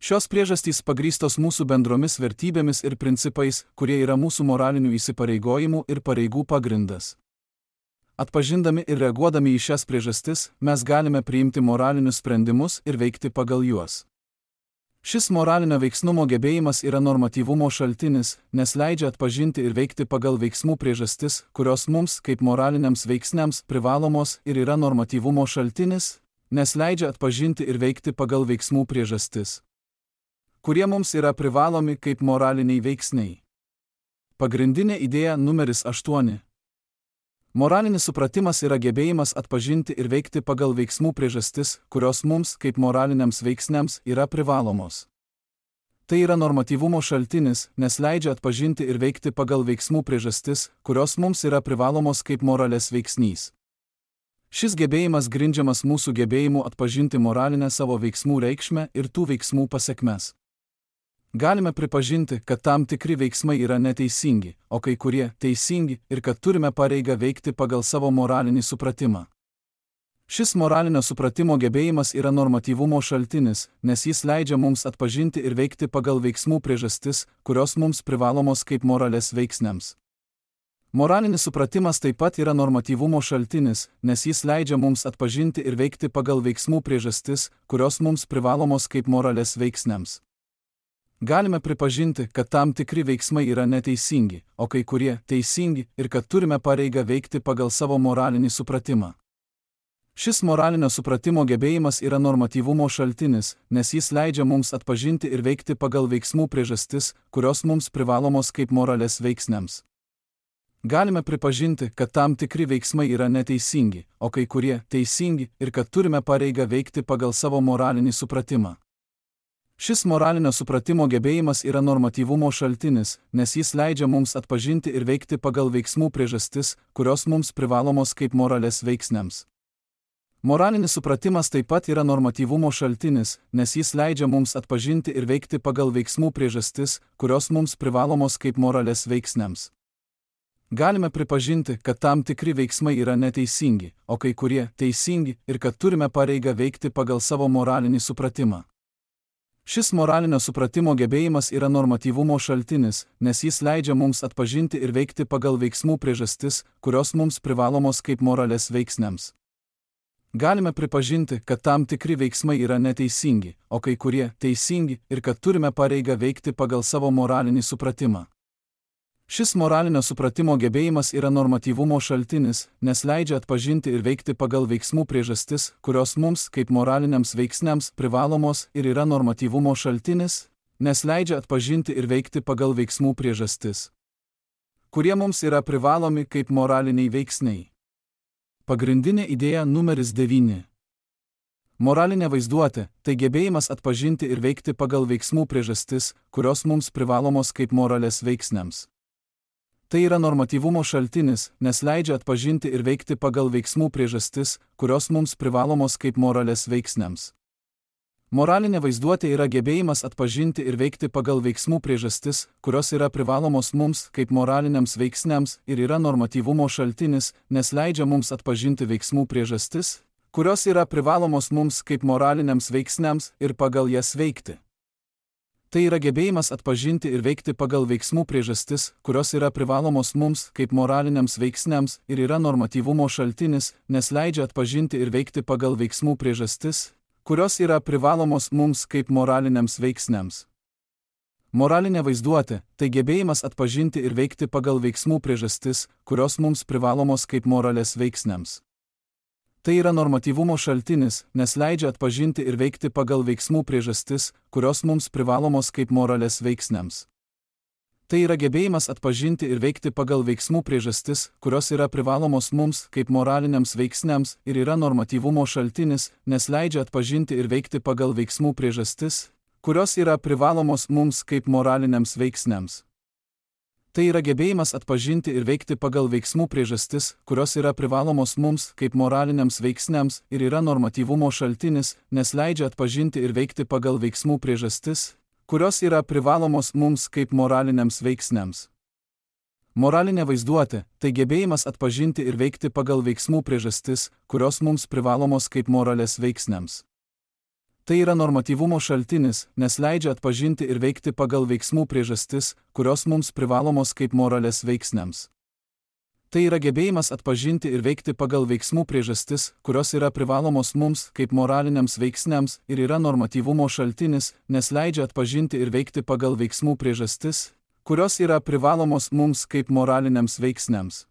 Šios priežastys pagrįstos mūsų bendromis vertybėmis ir principais, kurie yra mūsų moralinių įsipareigojimų ir pareigų pagrindas. Atpažindami ir reaguodami į šias priežastis, mes galime priimti moralinius sprendimus ir veikti pagal juos. Šis moralinio veiksnumo gebėjimas yra normatyvumo šaltinis, nes leidžia atpažinti ir veikti pagal veiksmų priežastis, kurios mums, kaip moraliniams veiksniams, privalomos ir yra normatyvumo šaltinis, nes leidžia atpažinti ir veikti pagal veiksmų priežastis, kurie mums yra privalomi kaip moraliniai veiksniai. Pagrindinė idėja numeris aštuoni. Moralinis supratimas yra gebėjimas atpažinti ir veikti pagal veiksmų priežastis, kurios mums, kaip moraliniams veiksniams, yra privalomos. Tai yra normatyvumo šaltinis, nes leidžia atpažinti ir veikti pagal veiksmų priežastis, kurios mums yra privalomos kaip moralės veiksnys. Šis gebėjimas grindžiamas mūsų gebėjimu atpažinti moralinę savo veiksmų reikšmę ir tų veiksmų pasekmes. Galime pripažinti, kad tam tikri veiksmai yra neteisingi, o kai kurie teisingi ir kad turime pareigą veikti pagal savo moralinį supratimą. Šis moralinio supratimo gebėjimas yra normatyvumo šaltinis, nes jis leidžia mums atpažinti ir veikti pagal veiksmų priežastis, kurios mums privalomos kaip moralės veiksniams. Moralinis supratimas taip pat yra normatyvumo šaltinis, nes jis leidžia mums atpažinti ir veikti pagal veiksmų priežastis, kurios mums privalomos kaip moralės veiksniams. Galime pripažinti, kad tam tikri veiksmai yra neteisingi, o kai kurie teisingi ir kad turime pareigą veikti pagal savo moralinį supratimą. Šis moralinio supratimo gebėjimas yra normatyvumo šaltinis, nes jis leidžia mums atpažinti ir veikti pagal veiksmų priežastis, kurios mums privalomos kaip moralės veiksniams. Galime pripažinti, kad tam tikri veiksmai yra neteisingi, o kai kurie teisingi ir kad turime pareigą veikti pagal savo moralinį supratimą. Šis moralinio supratimo gebėjimas yra normatyvumo šaltinis, nes jis leidžia mums atpažinti ir veikti pagal veiksmų priežastis, kurios mums privalomos kaip moralės veiksniams. Moralinis supratimas taip pat yra normatyvumo šaltinis, nes jis leidžia mums atpažinti ir veikti pagal veiksmų priežastis, kurios mums privalomos kaip moralės veiksniams. Galime pripažinti, kad tam tikri veiksmai yra neteisingi, o kai kurie teisingi ir kad turime pareigą veikti pagal savo moralinį supratimą. Šis moralinio supratimo gebėjimas yra normatyvumo šaltinis, nes jis leidžia mums atpažinti ir veikti pagal veiksmų priežastis, kurios mums privalomos kaip moralės veiksniams. Galime pripažinti, kad tam tikri veiksmai yra neteisingi, o kai kurie teisingi ir kad turime pareigą veikti pagal savo moralinį supratimą. Šis moralinio supratimo gebėjimas yra normatyvumo šaltinis, nes leidžia atpažinti ir veikti pagal veiksmų priežastis, kurios mums, kaip moraliniams veiksniams, privalomos ir yra normatyvumo šaltinis, nes leidžia atpažinti ir veikti pagal veiksmų priežastis, kurie mums yra privalomi kaip moraliniai veiksniai. Pagrindinė idėja numeris devyni. Moralinė vaizduotė – tai gebėjimas atpažinti ir veikti pagal veiksmų priežastis, kurios mums privalomos kaip moralės veiksniams. Tai yra normatyvumo šaltinis, nes leidžia atpažinti ir veikti pagal veiksmų priežastis, kurios mums privalomos kaip moralės veiksniams. Moralinė vaizduotė yra gebėjimas atpažinti ir veikti pagal veiksmų priežastis, kurios yra privalomos mums kaip moraliniams veiksniams ir yra normatyvumo šaltinis, nes leidžia mums atpažinti veiksmų priežastis, kurios yra privalomos mums kaip moraliniams veiksniams ir pagal jas veikti. Tai yra gebėjimas atpažinti ir veikti pagal veiksmų priežastis, kurios yra privalomos mums kaip moraliniams veiksniams ir yra normatyvumo šaltinis, nes leidžia atpažinti ir veikti pagal veiksmų priežastis, kurios yra privalomos mums kaip moraliniams veiksniams. Moralinė vaizduotė – tai gebėjimas atpažinti ir veikti pagal veiksmų priežastis, kurios mums privalomos kaip moralės veiksniams. Tai yra normatyvumo šaltinis, nes leidžia atpažinti ir veikti pagal veiksmų priežastis, kurios mums privalomos kaip moralės veiksniams. Tai yra gebėjimas atpažinti ir veikti pagal veiksmų priežastis, kurios yra privalomos mums kaip moraliniams veiksniams ir yra normatyvumo šaltinis, nes leidžia atpažinti ir veikti pagal veiksmų priežastis, kurios yra privalomos mums kaip moraliniams veiksniams. Tai yra gebėjimas atpažinti ir veikti pagal veiksmų priežastis, kurios yra privalomos mums kaip moraliniams veiksniams ir yra normatyvumo šaltinis, nes leidžia atpažinti ir veikti pagal veiksmų priežastis, kurios yra privalomos mums kaip moraliniams veiksniams. Moralinė vaizduotė – tai gebėjimas atpažinti ir veikti pagal veiksmų priežastis, kurios mums privalomos kaip moralės veiksniams. Tai yra normatyvumo šaltinis, nes leidžia atpažinti ir veikti pagal veiksmų priežastis, kurios mums privalomos kaip moralės veiksniams. Tai yra gebėjimas atpažinti ir veikti pagal veiksmų priežastis, kurios yra privalomos mums kaip moraliniams veiksniams ir yra normatyvumo šaltinis, nes leidžia atpažinti ir veikti pagal veiksmų priežastis, kurios yra privalomos mums kaip moraliniams veiksniams.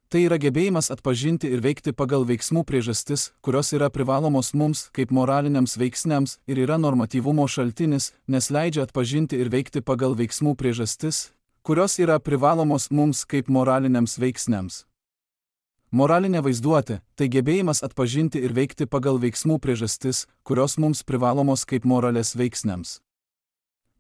Tai yra gebėjimas atpažinti ir veikti pagal veiksmų priežastis, kurios yra privalomos mums kaip moraliniams veiksniams ir yra normatyvumo šaltinis, nes leidžia atpažinti ir veikti pagal veiksmų priežastis, kurios yra privalomos mums kaip moraliniams veiksniams. Moralinė vaizduotė – tai gebėjimas atpažinti ir veikti pagal veiksmų priežastis, kurios mums privalomos kaip moralės veiksniams.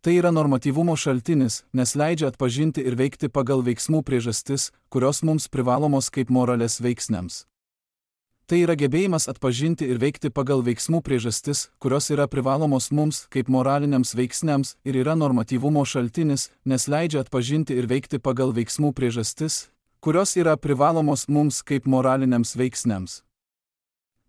Tai yra normatyvumo šaltinis, nes leidžia atpažinti ir veikti pagal veiksmų priežastis, kurios mums privalomos kaip moralės veiksniams. Tai yra gebėjimas atpažinti ir veikti pagal veiksmų priežastis, kurios yra privalomos mums kaip moraliniams veiksniams ir yra normatyvumo šaltinis, nes leidžia atpažinti ir veikti pagal veiksmų priežastis, kurios yra privalomos mums kaip moraliniams veiksniams.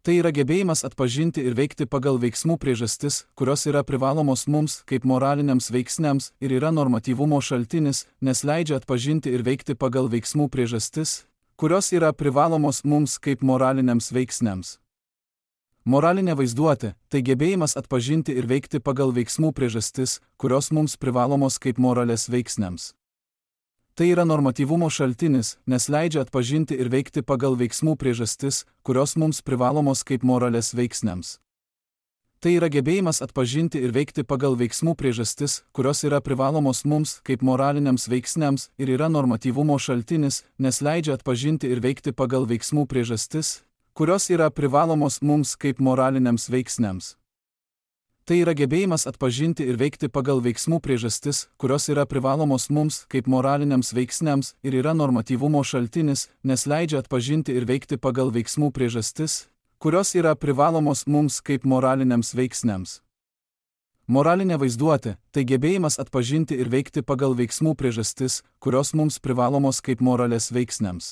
Tai yra gebėjimas atpažinti ir veikti pagal veiksmų priežastis, kurios yra privalomos mums kaip moraliniams veiksniams ir yra normatyvumo šaltinis, nes leidžia atpažinti ir veikti pagal veiksmų priežastis, kurios yra privalomos mums kaip moraliniams veiksniams. Moralinė vaizduotė – tai gebėjimas atpažinti ir veikti pagal veiksmų priežastis, kurios mums privalomos kaip moralės veiksniams. Tai yra normatyvumo šaltinis, nes leidžia atpažinti ir veikti pagal veiksmų priežastis, kurios mums privalomos kaip moralės veiksniams. Tai yra gebėjimas atpažinti ir veikti pagal veiksmų priežastis, kurios yra privalomos mums kaip moraliniams veiksniams ir yra normatyvumo šaltinis, nes leidžia atpažinti ir veikti pagal veiksmų priežastis, kurios yra privalomos mums kaip moraliniams veiksniams. Tai yra gebėjimas atpažinti ir veikti pagal veiksmų priežastis, kurios yra privalomos mums kaip moraliniams veiksniams ir yra normatyvumo šaltinis, nes leidžia atpažinti ir veikti pagal veiksmų priežastis, kurios yra privalomos mums kaip moraliniams veiksniams. Moralinė vaizduotė – tai gebėjimas atpažinti ir veikti pagal veiksmų priežastis, kurios mums privalomos kaip moralės veiksniams.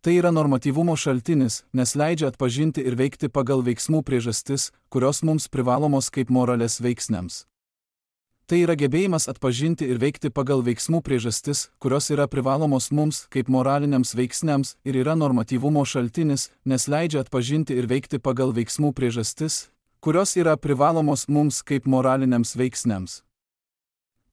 Tai yra normatyvumo šaltinis, nes leidžia atpažinti ir veikti pagal veiksmų priežastis, kurios mums privalomos kaip moralės veiksniams. Tai yra gebėjimas atpažinti ir veikti pagal veiksmų priežastis, kurios yra privalomos mums kaip moraliniams veiksniams ir yra normatyvumo šaltinis, nes leidžia atpažinti ir veikti pagal veiksmų priežastis, kurios yra privalomos mums kaip moraliniams veiksniams.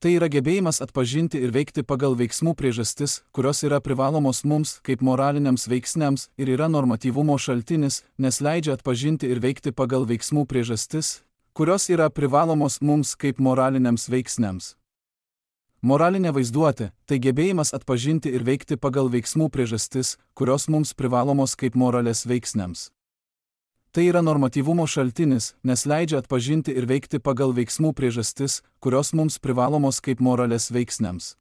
Tai yra gebėjimas atpažinti ir veikti pagal veiksmų priežastis, kurios yra privalomos mums kaip moraliniams veiksniams ir yra normatyvumo šaltinis, nes leidžia atpažinti ir veikti pagal veiksmų priežastis, kurios yra privalomos mums kaip moraliniams veiksniams. Moralinė vaizduotė – tai gebėjimas atpažinti ir veikti pagal veiksmų priežastis, kurios mums privalomos kaip moralės veiksniams. Tai yra normatyvumo šaltinis, nes leidžia atpažinti ir veikti pagal veiksmų priežastis, kurios mums privalomos kaip moralės veiksniams.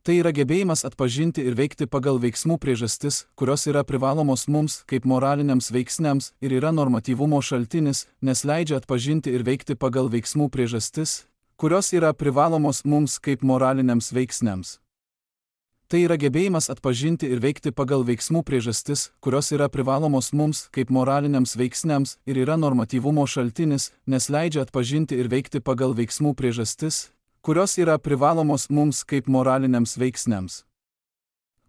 Tai yra gebėjimas atpažinti ir veikti pagal veiksmų priežastis, kurios yra privalomos mums kaip moraliniams veiksniams ir yra normatyvumo šaltinis, nes leidžia atpažinti ir veikti pagal veiksmų priežastis, kurios yra privalomos mums kaip moraliniams veiksniams. Tai yra gebėjimas atpažinti ir veikti pagal veiksmų priežastis, kurios yra privalomos mums kaip moraliniams veiksniams ir yra normatyvumo šaltinis, nes leidžia atpažinti ir veikti pagal veiksmų priežastis, kurios yra privalomos mums kaip moraliniams veiksniams.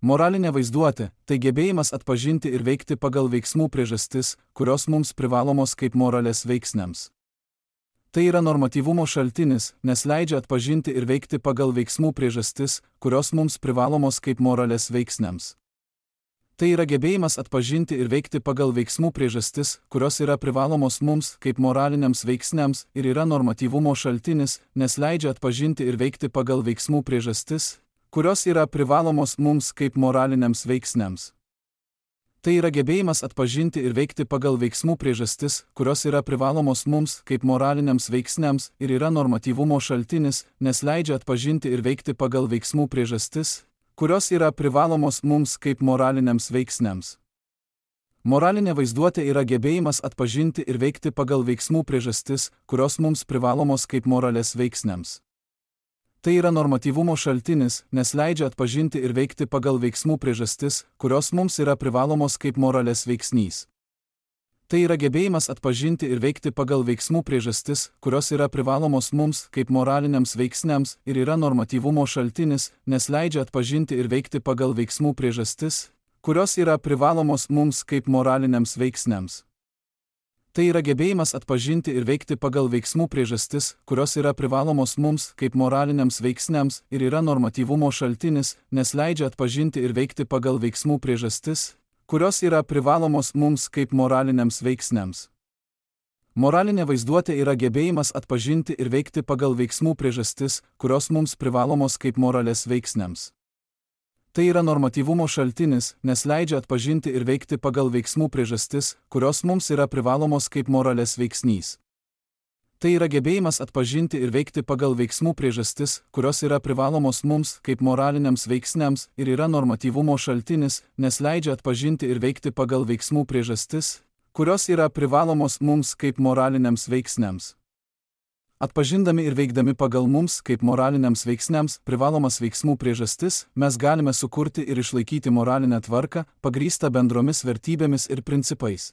Moralinė vaizduotė – tai gebėjimas atpažinti ir veikti pagal veiksmų priežastis, kurios mums privalomos kaip moralės veiksniams. Tai yra normatyvumo šaltinis, nes leidžia atpažinti ir veikti pagal veiksmų priežastis, kurios mums privalomos kaip moralės veiksniams. Tai yra gebėjimas atpažinti ir veikti pagal veiksmų priežastis, kurios yra privalomos mums kaip moraliniams veiksniams ir yra normatyvumo šaltinis, nes leidžia atpažinti ir veikti pagal veiksmų priežastis, kurios yra privalomos mums kaip moraliniams veiksniams. Tai yra gebėjimas atpažinti ir veikti pagal veiksmų priežastis, kurios yra privalomos mums kaip moraliniams veiksniams ir yra normatyvumo šaltinis, nes leidžia atpažinti ir veikti pagal veiksmų priežastis, kurios yra privalomos mums kaip moraliniams veiksniams. Moralinė vaizduotė yra gebėjimas atpažinti ir veikti pagal veiksmų priežastis, kurios mums privalomos kaip moralės veiksniams. Tai yra normatyvumo šaltinis, nes leidžia atpažinti ir veikti pagal veiksmų priežastis, kurios mums yra privalomos kaip moralės veiksnys. Tai yra gebėjimas atpažinti ir veikti pagal veiksmų priežastis, kurios yra privalomos mums kaip moraliniams veiksniams ir yra normatyvumo šaltinis, nes leidžia atpažinti ir veikti pagal veiksmų priežastis, kurios yra privalomos mums kaip moraliniams veiksniams. Tai yra gebėjimas atpažinti ir veikti pagal veiksmų priežastis, kurios yra privalomos mums kaip moraliniams veiksniams ir yra normatyvumo šaltinis, nes leidžia atpažinti ir veikti pagal veiksmų priežastis, kurios yra privalomos mums kaip moraliniams veiksniams. Moralinė vaizduotė yra gebėjimas atpažinti ir veikti pagal veiksmų priežastis, kurios mums privalomos kaip moralės veiksniams. Tai yra normatyvumo šaltinis, nes leidžia atpažinti ir veikti pagal veiksmų priežastis, kurios mums yra privalomos kaip moralės veiksnys. Tai yra gebėjimas atpažinti ir veikti pagal veiksmų priežastis, kurios yra privalomos mums kaip moraliniams veiksniams ir yra normatyvumo šaltinis, nes leidžia atpažinti ir veikti pagal veiksmų priežastis, kurios yra privalomos mums kaip moraliniams veiksniams. Atpažindami ir veikdami pagal mums kaip moraliniams veiksniams privalomas veiksmų priežastis, mes galime sukurti ir išlaikyti moralinę tvarką, pagrįstą bendromis vertybėmis ir principais.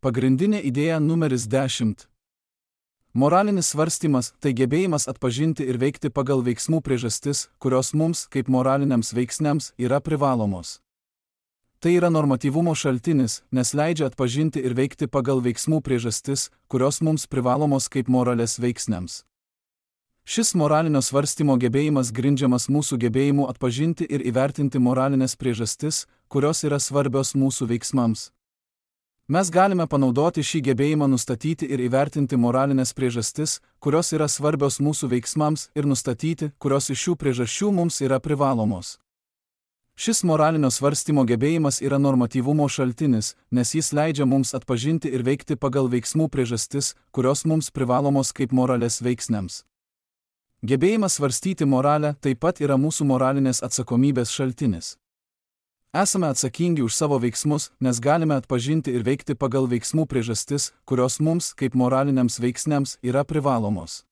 Pagrindinė idėja numeris dešimt. Moralinis svarstymas – tai gebėjimas atpažinti ir veikti pagal veiksmų priežastis, kurios mums, kaip moraliniams veiksniams, yra privalomos. Tai yra normatyvumo šaltinis, nes leidžia atpažinti ir veikti pagal veiksmų priežastis, kurios mums privalomos kaip moralės veiksniams. Šis moralinio svarstymo gebėjimas grindžiamas mūsų gebėjimu atpažinti ir įvertinti moralinės priežastis, kurios yra svarbios mūsų veiksmams. Mes galime panaudoti šį gebėjimą nustatyti ir įvertinti moralinės priežastis, kurios yra svarbios mūsų veiksmams ir nustatyti, kurios iš šių priežasčių mums yra privalomos. Šis moralinio svarstymo gebėjimas yra normatyvumo šaltinis, nes jis leidžia mums atpažinti ir veikti pagal veiksmų priežastis, kurios mums privalomos kaip moralės veiksniams. Gebėjimas svarstyti moralę taip pat yra mūsų moralinės atsakomybės šaltinis. Esame atsakingi už savo veiksmus, nes galime atpažinti ir veikti pagal veiksmų priežastis, kurios mums, kaip moraliniams veiksniams, yra privalomos.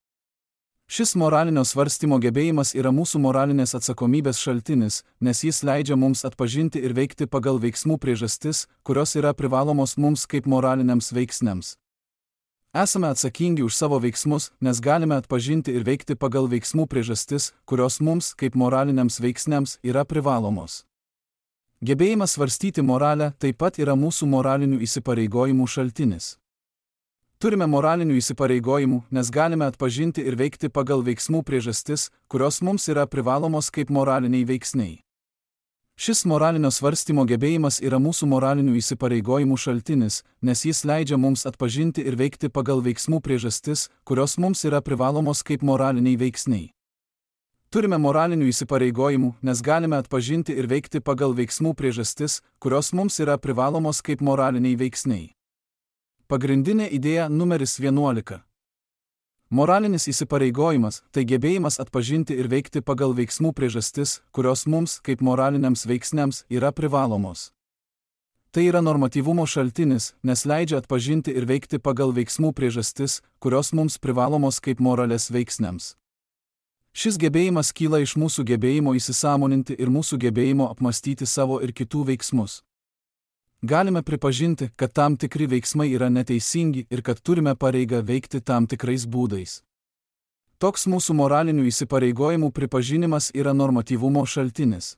Šis moralinio svarstymo gebėjimas yra mūsų moralinės atsakomybės šaltinis, nes jis leidžia mums atpažinti ir veikti pagal veiksmų priežastis, kurios yra privalomos mums kaip moraliniams veiksniams. Esame atsakingi už savo veiksmus, nes galime atpažinti ir veikti pagal veiksmų priežastis, kurios mums, kaip moraliniams veiksniams, yra privalomos. Gebėjimas svarstyti moralę taip pat yra mūsų moralinių įsipareigojimų šaltinis. Turime moralinių įsipareigojimų, nes galime atpažinti ir veikti pagal veiksmų priežastis, kurios mums yra privalomos kaip moraliniai veiksniai. Šis moralinio svarstymo gebėjimas yra mūsų moralinių įsipareigojimų šaltinis, nes jis leidžia mums atpažinti ir veikti pagal veiksmų priežastis, kurios mums yra privalomos kaip moraliniai veiksniai. Turime moralinių įsipareigojimų, nes galime atpažinti ir veikti pagal veiksmų priežastis, kurios mums yra privalomos kaip moraliniai veiksniai. Pagrindinė idėja numeris vienuolika. Moralinis įsipareigojimas – tai gebėjimas atpažinti ir veikti pagal veiksmų priežastis, kurios mums, kaip moraliniams veiksniams, yra privalomos. Tai yra normatyvumo šaltinis, nes leidžia atpažinti ir veikti pagal veiksmų priežastis, kurios mums privalomos kaip moralės veiksniams. Šis gebėjimas kyla iš mūsų gebėjimo įsisąmoninti ir mūsų gebėjimo apmastyti savo ir kitų veiksmus. Galime pripažinti, kad tam tikri veiksmai yra neteisingi ir kad turime pareigą veikti tam tikrais būdais. Toks mūsų moralinių įsipareigojimų pripažinimas yra normatyvumo šaltinis.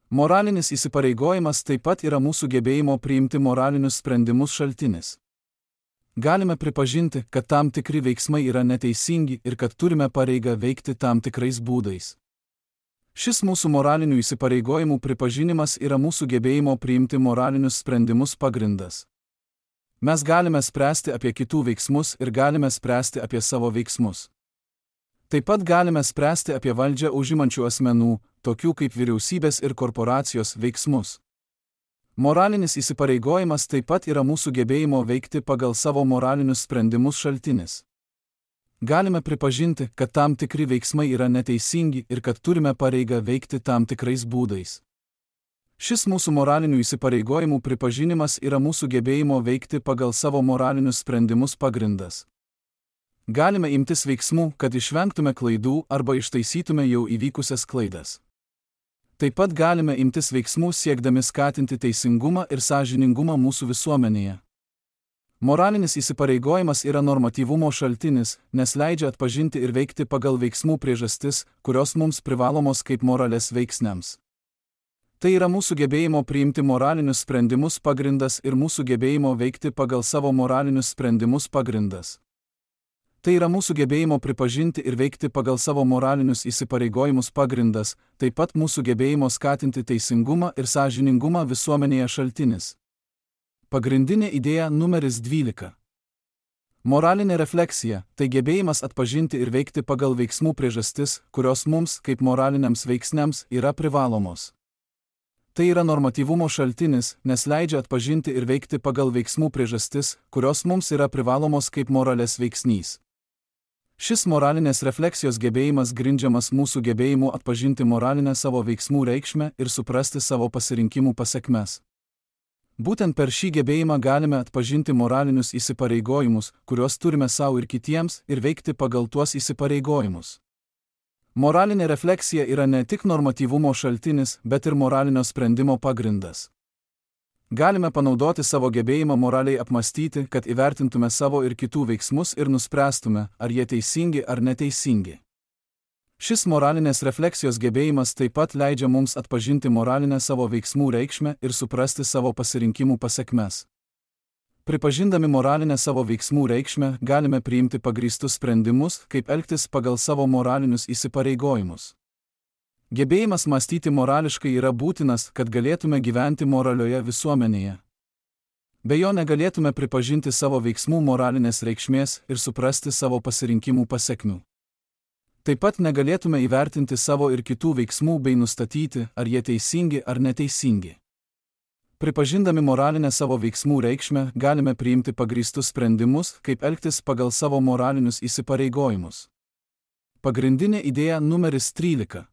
Moralinis įsipareigojimas taip pat yra mūsų gebėjimo priimti moralinius sprendimus šaltinis. Galime pripažinti, kad tam tikri veiksmai yra neteisingi ir kad turime pareigą veikti tam tikrais būdais. Šis mūsų moralinių įsipareigojimų pripažinimas yra mūsų gebėjimo priimti moralinius sprendimus pagrindas. Mes galime spręsti apie kitų veiksmus ir galime spręsti apie savo veiksmus. Taip pat galime spręsti apie valdžią užimančių asmenų, tokių kaip vyriausybės ir korporacijos, veiksmus. Moralinis įsipareigojimas taip pat yra mūsų gebėjimo veikti pagal savo moralinius sprendimus šaltinis. Galime pripažinti, kad tam tikri veiksmai yra neteisingi ir kad turime pareigą veikti tam tikrais būdais. Šis mūsų moralinių įsipareigojimų pripažinimas yra mūsų gebėjimo veikti pagal savo moralinius sprendimus pagrindas. Galime imtis veiksmų, kad išvengtume klaidų arba ištaisytume jau įvykusias klaidas. Taip pat galime imtis veiksmų siekdami skatinti teisingumą ir sąžiningumą mūsų visuomenėje. Moralinis įsipareigojimas yra normatyvumo šaltinis, nes leidžia atpažinti ir veikti pagal veiksmų priežastis, kurios mums privalomos kaip moralės veiksniams. Tai yra mūsų gebėjimo priimti moralinius sprendimus pagrindas ir mūsų gebėjimo veikti pagal savo moralinius sprendimus pagrindas. Tai yra mūsų gebėjimo pripažinti ir veikti pagal savo moralinius įsipareigojimus pagrindas, taip pat mūsų gebėjimo skatinti teisingumą ir sąžiningumą visuomenėje šaltinis. Pagrindinė idėja numeris dvylika. Moralinė refleksija – tai gebėjimas atpažinti ir veikti pagal veiksmų priežastis, kurios mums, kaip moraliniams veiksniams, yra privalomos. Tai yra normatyvumo šaltinis, nes leidžia atpažinti ir veikti pagal veiksmų priežastis, kurios mums yra privalomos kaip moralės veiksnys. Šis moralinės refleksijos gebėjimas grindžiamas mūsų gebėjimu atpažinti moralinę savo veiksmų reikšmę ir suprasti savo pasirinkimų pasekmes. Būtent per šį gebėjimą galime atpažinti moralinius įsipareigojimus, kuriuos turime savo ir kitiems, ir veikti pagal tuos įsipareigojimus. Moralinė refleksija yra ne tik normatyvumo šaltinis, bet ir moralinio sprendimo pagrindas. Galime panaudoti savo gebėjimą moraliai apmastyti, kad įvertintume savo ir kitų veiksmus ir nuspręstume, ar jie teisingi ar neteisingi. Šis moralinės refleksijos gebėjimas taip pat leidžia mums atpažinti moralinę savo veiksmų reikšmę ir suprasti savo pasirinkimų pasekmes. Pripažindami moralinę savo veiksmų reikšmę, galime priimti pagrįstus sprendimus, kaip elgtis pagal savo moralinius įsipareigojimus. Gebėjimas mąstyti morališkai yra būtinas, kad galėtume gyventi moralioje visuomenėje. Be jo negalėtume pripažinti savo veiksmų moralinės reikšmės ir suprasti savo pasirinkimų pasekmių. Taip pat negalėtume įvertinti savo ir kitų veiksmų bei nustatyti, ar jie teisingi ar neteisingi. Pripažindami moralinę savo veiksmų reikšmę, galime priimti pagrįstus sprendimus, kaip elgtis pagal savo moralinius įsipareigojimus. Pagrindinė idėja numeris trylika.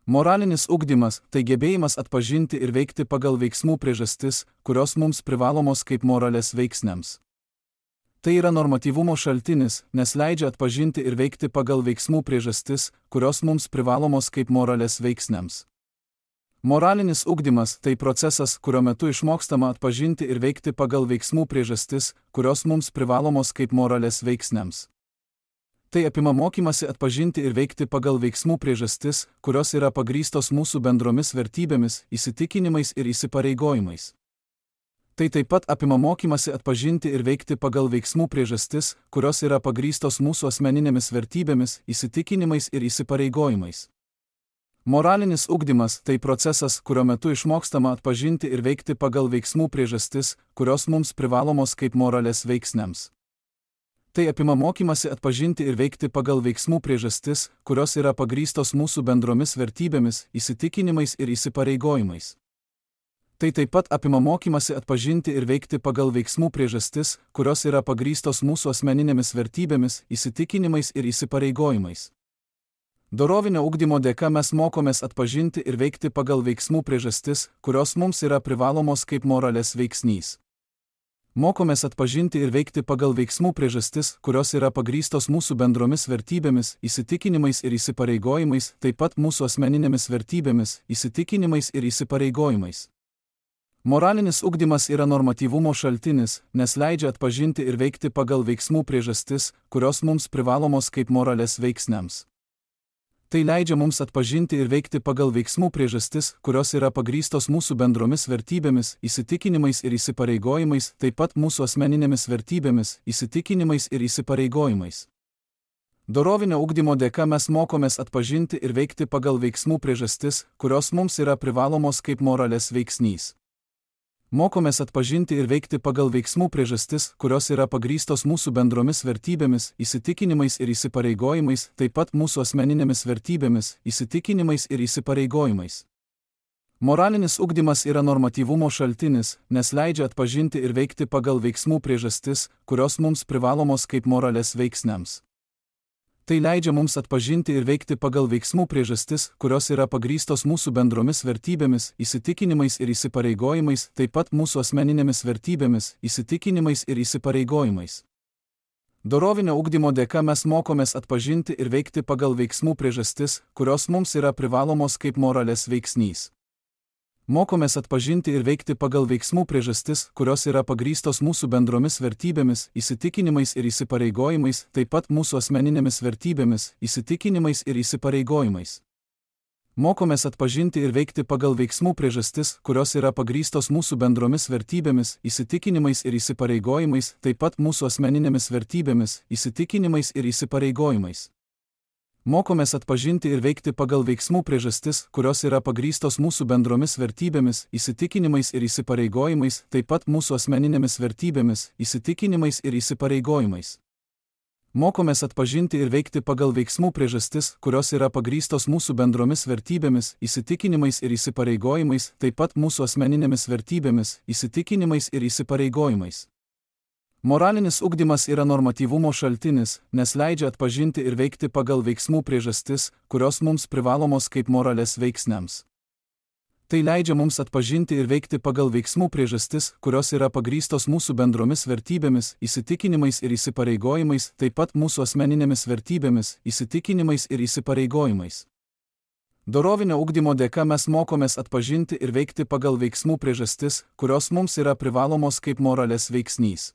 Moralinis ugdymas – tai gebėjimas atpažinti ir veikti pagal veiksmų priežastis, kurios mums privalomos kaip moralės veiksniams. Tai yra normatyvumo šaltinis, nes leidžia atpažinti ir veikti pagal veiksmų priežastis, kurios mums privalomos kaip moralės veiksniams. Moralinis ugdymas – tai procesas, kurio metu išmokstama atpažinti ir veikti pagal veiksmų priežastis, kurios mums privalomos kaip moralės veiksniams. Tai apima mokymasi atpažinti ir veikti pagal veiksmų priežastis, kurios yra pagrįstos mūsų bendromis vertybėmis, įsitikinimais ir įsipareigojimais. Tai taip pat apima mokymasi atpažinti ir veikti pagal veiksmų priežastis, kurios yra pagrįstos mūsų asmeninėmis vertybėmis, įsitikinimais ir įsipareigojimais. Moralinis ugdymas – tai procesas, kurio metu išmokstama atpažinti ir veikti pagal veiksmų priežastis, kurios mums privalomos kaip moralės veiksniams. Tai apima mokymasi atpažinti ir veikti pagal veiksmų priežastis, kurios yra pagrįstos mūsų bendromis vertybėmis, įsitikinimais ir įsipareigojimais. Tai taip pat apima mokymasi atpažinti ir veikti pagal veiksmų priežastis, kurios yra pagrįstos mūsų asmeninėmis vertybėmis, įsitikinimais ir įsipareigojimais. Dorovinio ugdymo dėka mes mokomės atpažinti ir veikti pagal veiksmų priežastis, kurios mums yra privalomos kaip moralės veiksnys. Mokomės atpažinti ir veikti pagal veiksmų priežastis, kurios yra pagrįstos mūsų bendromis vertybėmis, įsitikinimais ir įsipareigojimais, taip pat mūsų asmeninėmis vertybėmis, įsitikinimais ir įsipareigojimais. Moralinis ugdymas yra normatyvumo šaltinis, nes leidžia atpažinti ir veikti pagal veiksmų priežastis, kurios mums privalomos kaip moralės veiksniams. Tai leidžia mums atpažinti ir veikti pagal veiksmų priežastis, kurios yra pagrįstos mūsų bendromis vertybėmis, įsitikinimais ir įsipareigojimais, taip pat mūsų asmeninėmis vertybėmis, įsitikinimais ir įsipareigojimais. Dorovinio ugdymo dėka mes mokomės atpažinti ir veikti pagal veiksmų priežastis, kurios mums yra privalomos kaip moralės veiksnys. Mokomės atpažinti ir veikti pagal veiksmų priežastis, kurios yra pagrįstos mūsų bendromis vertybėmis, įsitikinimais ir įsipareigojimais, taip pat mūsų asmeninėmis vertybėmis, įsitikinimais ir įsipareigojimais. Moralinis ugdymas yra normatyvumo šaltinis, nes leidžia atpažinti ir veikti pagal veiksmų priežastis, kurios mums privalomos kaip moralės veiksniams. Tai leidžia mums atpažinti ir veikti pagal veiksmų priežastis, kurios yra pagrįstos mūsų bendromis vertybėmis, įsitikinimais ir įsipareigojimais, taip pat mūsų asmeninėmis vertybėmis, įsitikinimais ir įsipareigojimais. Dorovinio ugdymo dėka mes mokomės atpažinti ir veikti pagal veiksmų priežastis, kurios mums yra privalomos kaip moralės veiksnys. Mokomės atpažinti ir veikti pagal veiksmų priežastis, kurios yra pagrįstos mūsų bendromis vertybėmis, įsitikinimais ir įsipareigojimais, taip pat mūsų asmeninėmis vertybėmis, įsitikinimais ir įsipareigojimais. Mokomės atpažinti ir veikti pagal veiksmų priežastis, kurios yra pagrįstos mūsų bendromis vertybėmis, įsitikinimais ir įsipareigojimais, taip pat mūsų asmeninėmis vertybėmis, įsitikinimais ir įsipareigojimais. Mokomės atpažinti ir veikti pagal veiksmų priežastis, kurios yra pagrįstos mūsų bendromis vertybėmis, įsitikinimais ir įsipareigojimais, taip pat mūsų asmeninėmis vertybėmis, įsitikinimais ir įsipareigojimais. Mokomės atpažinti ir veikti pagal veiksmų priežastis, kurios yra pagrįstos mūsų bendromis vertybėmis, įsitikinimais ir įsipareigojimais, taip pat mūsų asmeninėmis vertybėmis, įsitikinimais ir įsipareigojimais. Moralinis ugdymas yra normatyvumo šaltinis, nes leidžia atpažinti ir veikti pagal veiksmų priežastis, kurios mums privalomos kaip moralės veiksniams. Tai leidžia mums atpažinti ir veikti pagal veiksmų priežastis, kurios yra pagrįstos mūsų bendromis vertybėmis, įsitikinimais ir įsipareigojimais, taip pat mūsų asmeninėmis vertybėmis, įsitikinimais ir įsipareigojimais. Dorovinio ugdymo dėka mes mokomės atpažinti ir veikti pagal veiksmų priežastis, kurios mums yra privalomos kaip moralės veiksnys.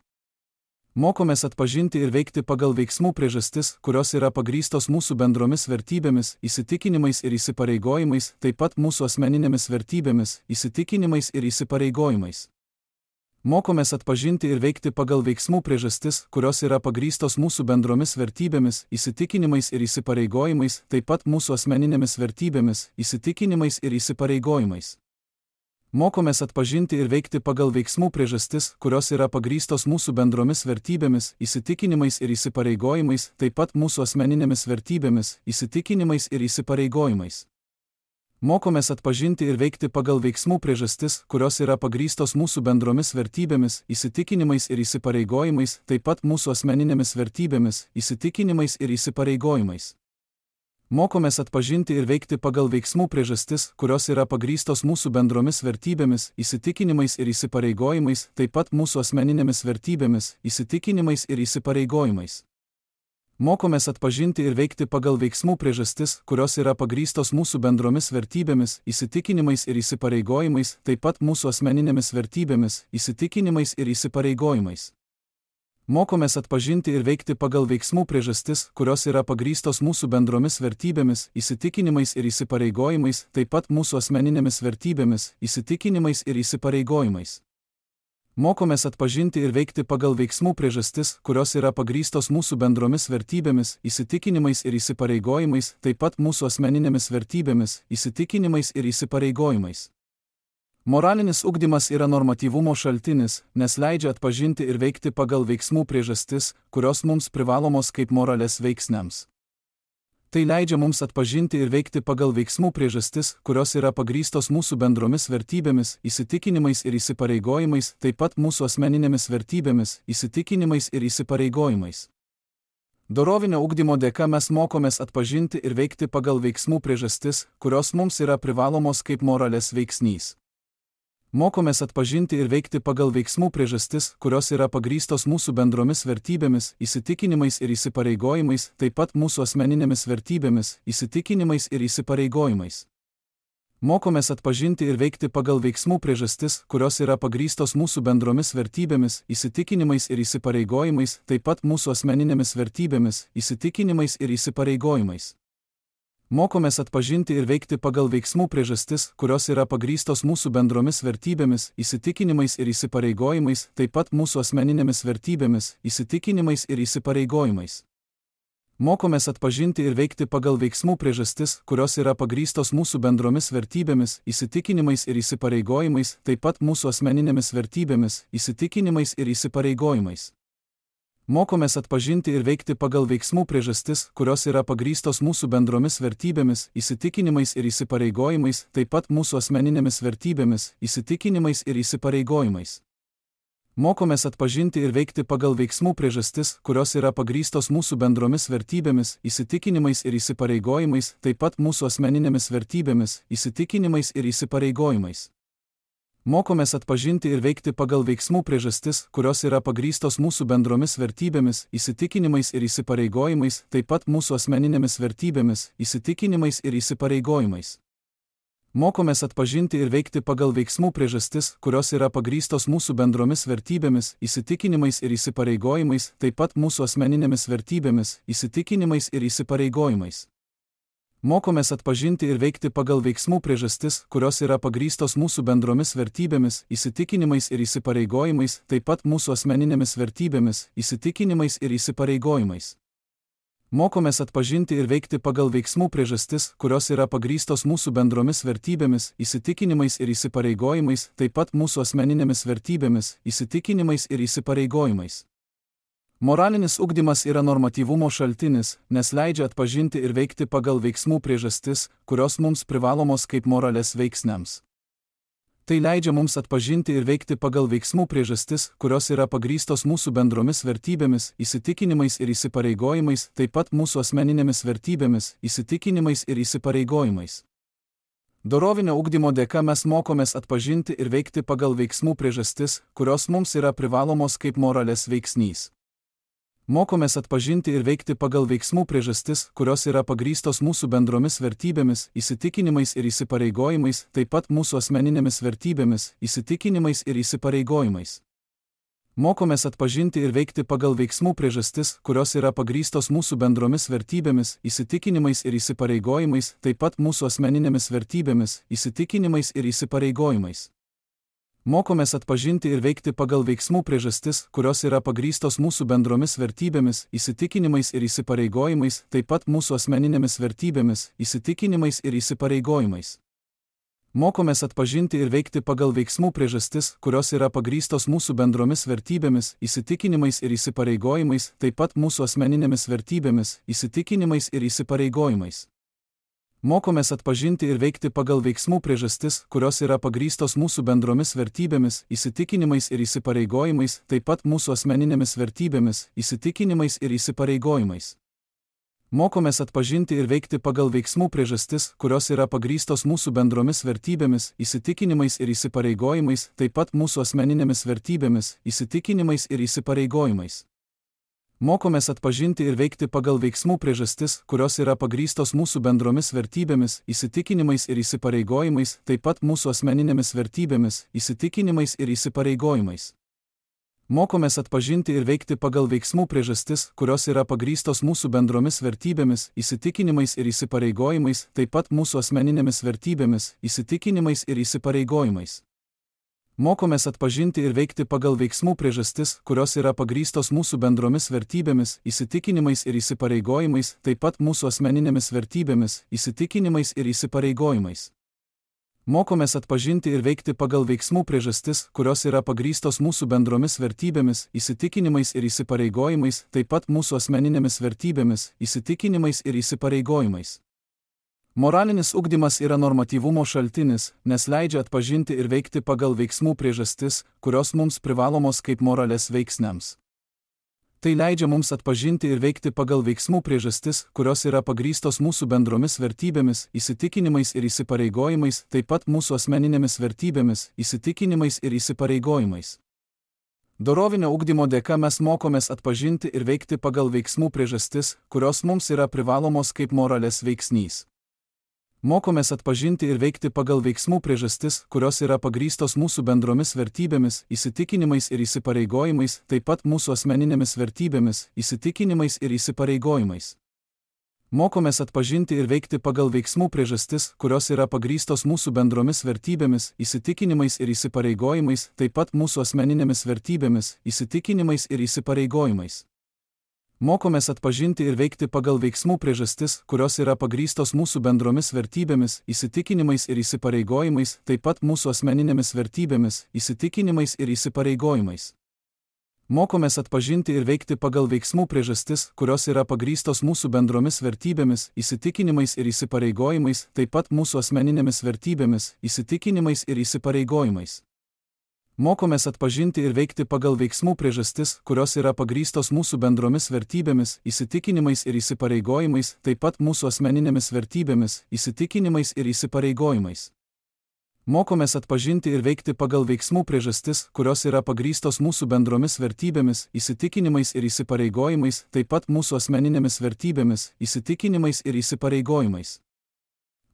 Mokomės atpažinti ir veikti pagal veiksmų priežastis, kurios yra pagrįstos mūsų bendromis vertybėmis, įsitikinimais ir įsipareigojimais, taip pat mūsų asmeninėmis vertybėmis, įsitikinimais ir įsipareigojimais. Mokomės atpažinti ir veikti pagal veiksmų priežastis, kurios yra pagrįstos mūsų bendromis vertybėmis, įsitikinimais ir įsipareigojimais, taip pat mūsų asmeninėmis vertybėmis, įsitikinimais ir įsipareigojimais. Mokomės atpažinti ir veikti pagal veiksmų priežastis, kurios yra pagrįstos mūsų bendromis vertybėmis, įsitikinimais ir įsipareigojimais, taip pat mūsų asmeninėmis vertybėmis, įsitikinimais ir įsipareigojimais. Mokomės atpažinti ir veikti pagal veiksmų priežastis, kurios yra pagrįstos mūsų bendromis vertybėmis, įsitikinimais ir įsipareigojimais, taip pat mūsų asmeninėmis vertybėmis, įsitikinimais ir įsipareigojimais. Mokomės atpažinti ir veikti pagal veiksmų priežastis, kurios yra pagrįstos mūsų bendromis vertybėmis, įsitikinimais ir įsipareigojimais, taip pat mūsų asmeninėmis vertybėmis, įsitikinimais ir įsipareigojimais. Mokomės atpažinti ir veikti pagal veiksmų priežastis, kurios yra pagrįstos mūsų bendromis vertybėmis, įsitikinimais ir įsipareigojimais, taip pat mūsų asmeninėmis vertybėmis, įsitikinimais ir įsipareigojimais. Mokomės atpažinti ir veikti pagal veiksmų priežastis, kurios yra pagrįstos mūsų bendromis vertybėmis, įsitikinimais ir įsipareigojimais, taip pat mūsų asmeninėmis vertybėmis, įsitikinimais ir įsipareigojimais. Mokomės atpažinti ir veikti pagal veiksmų priežastis, kurios yra pagrįstos mūsų bendromis vertybėmis, įsitikinimais ir įsipareigojimais, taip pat mūsų asmeninėmis vertybėmis, įsitikinimais ir įsipareigojimais. Moralinis ugdymas yra normatyvumo šaltinis, nes leidžia atpažinti ir veikti pagal veiksmų priežastis, kurios mums privalomos kaip moralės veiksniams. Tai leidžia mums atpažinti ir veikti pagal veiksmų priežastis, kurios yra pagrįstos mūsų bendromis vertybėmis, įsitikinimais ir įsipareigojimais, taip pat mūsų asmeninėmis vertybėmis, įsitikinimais ir įsipareigojimais. Dorovinio ugdymo dėka mes mokomės atpažinti ir veikti pagal veiksmų priežastis, kurios mums yra privalomos kaip moralės veiksnys. Mokomės atpažinti ir veikti pagal veiksmų priežastis, kurios yra pagrįstos mūsų bendromis vertybėmis, įsitikinimais ir įsipareigojimais, taip pat mūsų asmeninėmis vertybėmis, įsitikinimais ir įsipareigojimais. Mokomės atpažinti ir veikti pagal veiksmų priežastis, kurios yra pagrįstos mūsų bendromis vertybėmis, įsitikinimais ir įsipareigojimais, taip pat mūsų asmeninėmis vertybėmis, įsitikinimais ir įsipareigojimais. Mokomės atpažinti ir veikti pagal veiksmų priežastis, kurios yra pagrįstos mūsų bendromis vertybėmis, įsitikinimais ir įsipareigojimais, taip pat mūsų asmeninėmis vertybėmis, įsitikinimais ir įsipareigojimais. Mokomės atpažinti ir veikti pagal veiksmų priežastis, kurios yra pagrįstos mūsų bendromis vertybėmis, įsitikinimais ir įsipareigojimais, taip pat mūsų asmeninėmis vertybėmis, įsitikinimais ir įsipareigojimais. Mokomės atpažinti ir veikti pagal veiksmų priežastis, kurios yra pagrįstos mūsų bendromis vertybėmis, įsitikinimais ir įsipareigojimais, taip pat mūsų asmeninėmis vertybėmis, įsitikinimais ir įsipareigojimais. Mokomės atpažinti ir veikti pagal veiksmų priežastis, kurios yra pagrįstos mūsų bendromis vertybėmis, įsitikinimais ir įsipareigojimais, taip pat mūsų asmeninėmis vertybėmis, įsitikinimais ir įsipareigojimais. Mokomės atpažinti ir veikti pagal veiksmų priežastis, kurios yra pagrįstos mūsų bendromis vertybėmis, įsitikinimais ir įsipareigojimais, taip pat mūsų asmeninėmis vertybėmis, įsitikinimais ir įsipareigojimais. Mokomės atpažinti ir veikti pagal veiksmų priežastis, kurios yra pagrįstos mūsų bendromis vertybėmis, įsitikinimais ir įsipareigojimais, taip pat mūsų asmeninėmis vertybėmis, įsitikinimais ir įsipareigojimais. Mokomės atpažinti ir veikti pagal veiksmų priežastis, kurios yra pagrįstos mūsų bendromis vertybėmis, įsitikinimais ir įsipareigojimais, taip pat mūsų asmeninėmis vertybėmis, įsitikinimais ir įsipareigojimais. Mokomės atpažinti ir veikti pagal veiksmų priežastis, kurios yra pagrįstos mūsų bendromis vertybėmis, įsitikinimais ir įsipareigojimais, taip pat mūsų asmeninėmis vertybėmis, įsitikinimais ir įsipareigojimais. Moralinis ugdymas yra normatyvumo šaltinis, nes leidžia atpažinti ir veikti pagal veiksmų priežastis, kurios mums privalomos kaip moralės veiksniams. Tai leidžia mums atpažinti ir veikti pagal veiksmų priežastis, kurios yra pagrįstos mūsų bendromis vertybėmis, įsitikinimais ir įsipareigojimais, taip pat mūsų asmeninėmis vertybėmis, įsitikinimais ir įsipareigojimais. Dorovinio ugdymo dėka mes mokomės atpažinti ir veikti pagal veiksmų priežastis, kurios mums yra privalomos kaip moralės veiksnys. Mokomės atpažinti ir veikti pagal veiksmų priežastis, kurios yra pagrįstos mūsų bendromis vertybėmis, įsitikinimais ir įsipareigojimais, taip pat mūsų asmeninėmis vertybėmis, įsitikinimais ir įsipareigojimais. Mokomės atpažinti ir veikti pagal veiksmų priežastis, kurios yra pagrįstos mūsų bendromis vertybėmis, įsitikinimais ir įsipareigojimais, taip pat mūsų asmeninėmis vertybėmis, įsitikinimais ir įsipareigojimais. Mokomės atpažinti ir veikti pagal veiksmų priežastis, kurios yra pagrįstos mūsų bendromis vertybėmis, įsitikinimais ir įsipareigojimais, taip pat mūsų asmeninėmis vertybėmis, įsitikinimais ir įsipareigojimais. Mokomės atpažinti ir veikti pagal veiksmų priežastis, kurios yra pagrįstos mūsų bendromis vertybėmis, įsitikinimais ir įsipareigojimais, taip pat mūsų asmeninėmis vertybėmis, įsitikinimais ir įsipareigojimais. Mokomės atpažinti ir veikti pagal veiksmų priežastis, kurios yra pagrįstos mūsų bendromis vertybėmis, įsitikinimais ir įsipareigojimais, taip pat mūsų asmeninėmis vertybėmis, įsitikinimais ir įsipareigojimais. Mokomės atpažinti ir veikti pagal veiksmų priežastis, kurios yra pagrįstos mūsų bendromis vertybėmis, įsitikinimais ir įsipareigojimais, taip pat mūsų asmeninėmis vertybėmis, įsitikinimais ir įsipareigojimais. Mokomės atpažinti ir veikti pagal veiksmų priežastis, kurios yra pagrįstos mūsų bendromis vertybėmis, įsitikinimais ir įsipareigojimais, taip pat mūsų asmeninėmis vertybėmis, įsitikinimais ir įsipareigojimais. Mokomės atpažinti ir veikti pagal veiksmų priežastis, kurios yra pagrįstos mūsų bendromis vertybėmis, įsitikinimais ir įsipareigojimais, taip pat mūsų asmeninėmis vertybėmis, įsitikinimais ir įsipareigojimais. Mokomės atpažinti ir veikti pagal veiksmų priežastis, kurios yra pagrįstos mūsų bendromis vertybėmis, įsitikinimais ir įsipareigojimais, taip pat mūsų asmeninėmis vertybėmis, įsitikinimais ir įsipareigojimais. Mokomės atpažinti ir veikti pagal veiksmų priežastis, kurios yra pagrįstos mūsų bendromis vertybėmis, įsitikinimais ir įsipareigojimais, taip pat mūsų asmeninėmis vertybėmis, įsitikinimais ir įsipareigojimais. Moralinis ugdymas yra normatyvumo šaltinis, nes leidžia atpažinti ir veikti pagal veiksmų priežastis, kurios mums privalomos kaip moralės veiksniams. Tai leidžia mums atpažinti ir veikti pagal veiksmų priežastis, kurios yra pagrįstos mūsų bendromis vertybėmis, įsitikinimais ir įsipareigojimais, taip pat mūsų asmeninėmis vertybėmis, įsitikinimais ir įsipareigojimais. Dorovinio ugdymo dėka mes mokomės atpažinti ir veikti pagal veiksmų priežastis, kurios mums yra privalomos kaip moralės veiksnys. Mokomės atpažinti ir veikti pagal veiksmų priežastis, kurios yra pagrįstos mūsų bendromis vertybėmis, įsitikinimais ir įsipareigojimais, taip pat mūsų asmeninėmis vertybėmis, įsitikinimais ir įsipareigojimais. Mokomės atpažinti ir veikti pagal veiksmų priežastis, kurios yra pagrįstos mūsų bendromis vertybėmis, įsitikinimais ir įsipareigojimais, taip pat mūsų asmeninėmis vertybėmis, įsitikinimais ir įsipareigojimais. Mokomės atpažinti ir veikti pagal veiksmų priežastis, kurios yra pagrįstos mūsų bendromis vertybėmis, įsitikinimais ir įsipareigojimais, taip pat mūsų asmeninėmis vertybėmis, įsitikinimais ir įsipareigojimais. Mokomės atpažinti ir veikti pagal veiksmų priežastis, kurios yra pagrįstos mūsų bendromis vertybėmis, įsitikinimais ir įsipareigojimais, taip pat mūsų asmeninėmis vertybėmis, įsitikinimais ir įsipareigojimais. Mokomės atpažinti ir veikti pagal veiksmų priežastis, kurios yra pagrįstos mūsų bendromis vertybėmis, įsitikinimais ir įsipareigojimais, taip pat mūsų asmeninėmis vertybėmis, įsitikinimais ir įsipareigojimais. Mokomės atpažinti ir veikti pagal veiksmų priežastis, kurios yra pagrįstos mūsų bendromis vertybėmis, įsitikinimais ir įsipareigojimais, taip pat mūsų asmeninėmis vertybėmis, įsitikinimais ir įsipareigojimais.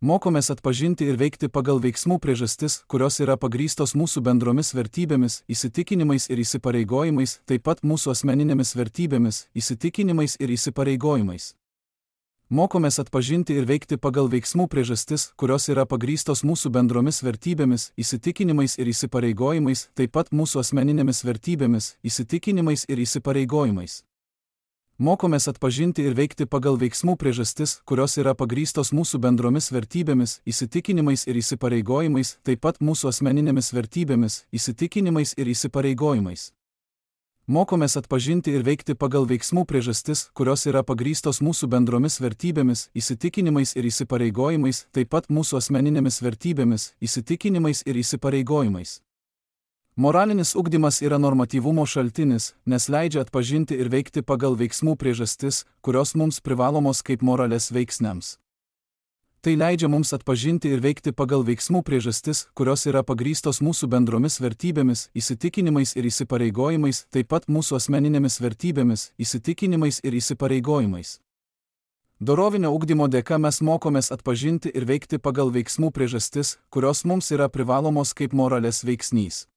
Mokomės atpažinti ir veikti pagal veiksmų priežastis, kurios yra pagrįstos mūsų bendromis vertybėmis, įsitikinimais ir įsipareigojimais, taip pat mūsų asmeninėmis vertybėmis, įsitikinimais ir įsipareigojimais. Mokomės atpažinti ir veikti pagal veiksmų priežastis, kurios yra pagrįstos mūsų bendromis vertybėmis, įsitikinimais ir įsipareigojimais, taip pat mūsų asmeninėmis vertybėmis, įsitikinimais ir įsipareigojimais. Mokomės atpažinti ir veikti pagal veiksmų priežastis, kurios yra pagrįstos mūsų bendromis vertybėmis, įsitikinimais ir įsipareigojimais, taip pat mūsų asmeninėmis vertybėmis, įsitikinimais ir įsipareigojimais. Mokomės atpažinti ir veikti pagal veiksmų priežastis, kurios yra pagrįstos mūsų bendromis vertybėmis, įsitikinimais ir įsipareigojimais, taip pat mūsų asmeninėmis vertybėmis, įsitikinimais ir įsipareigojimais. Moralinis ugdymas yra normatyvumo šaltinis, nes leidžia atpažinti ir veikti pagal veiksmų priežastis, kurios mums privalomos kaip moralės veiksniams. Tai leidžia mums atpažinti ir veikti pagal veiksmų priežastis, kurios yra pagrįstos mūsų bendromis vertybėmis, įsitikinimais ir įsipareigojimais, taip pat mūsų asmeninėmis vertybėmis, įsitikinimais ir įsipareigojimais. Dorovinio ugdymo dėka mes mokomės atpažinti ir veikti pagal veiksmų priežastis, kurios mums yra privalomos kaip moralės veiksnys.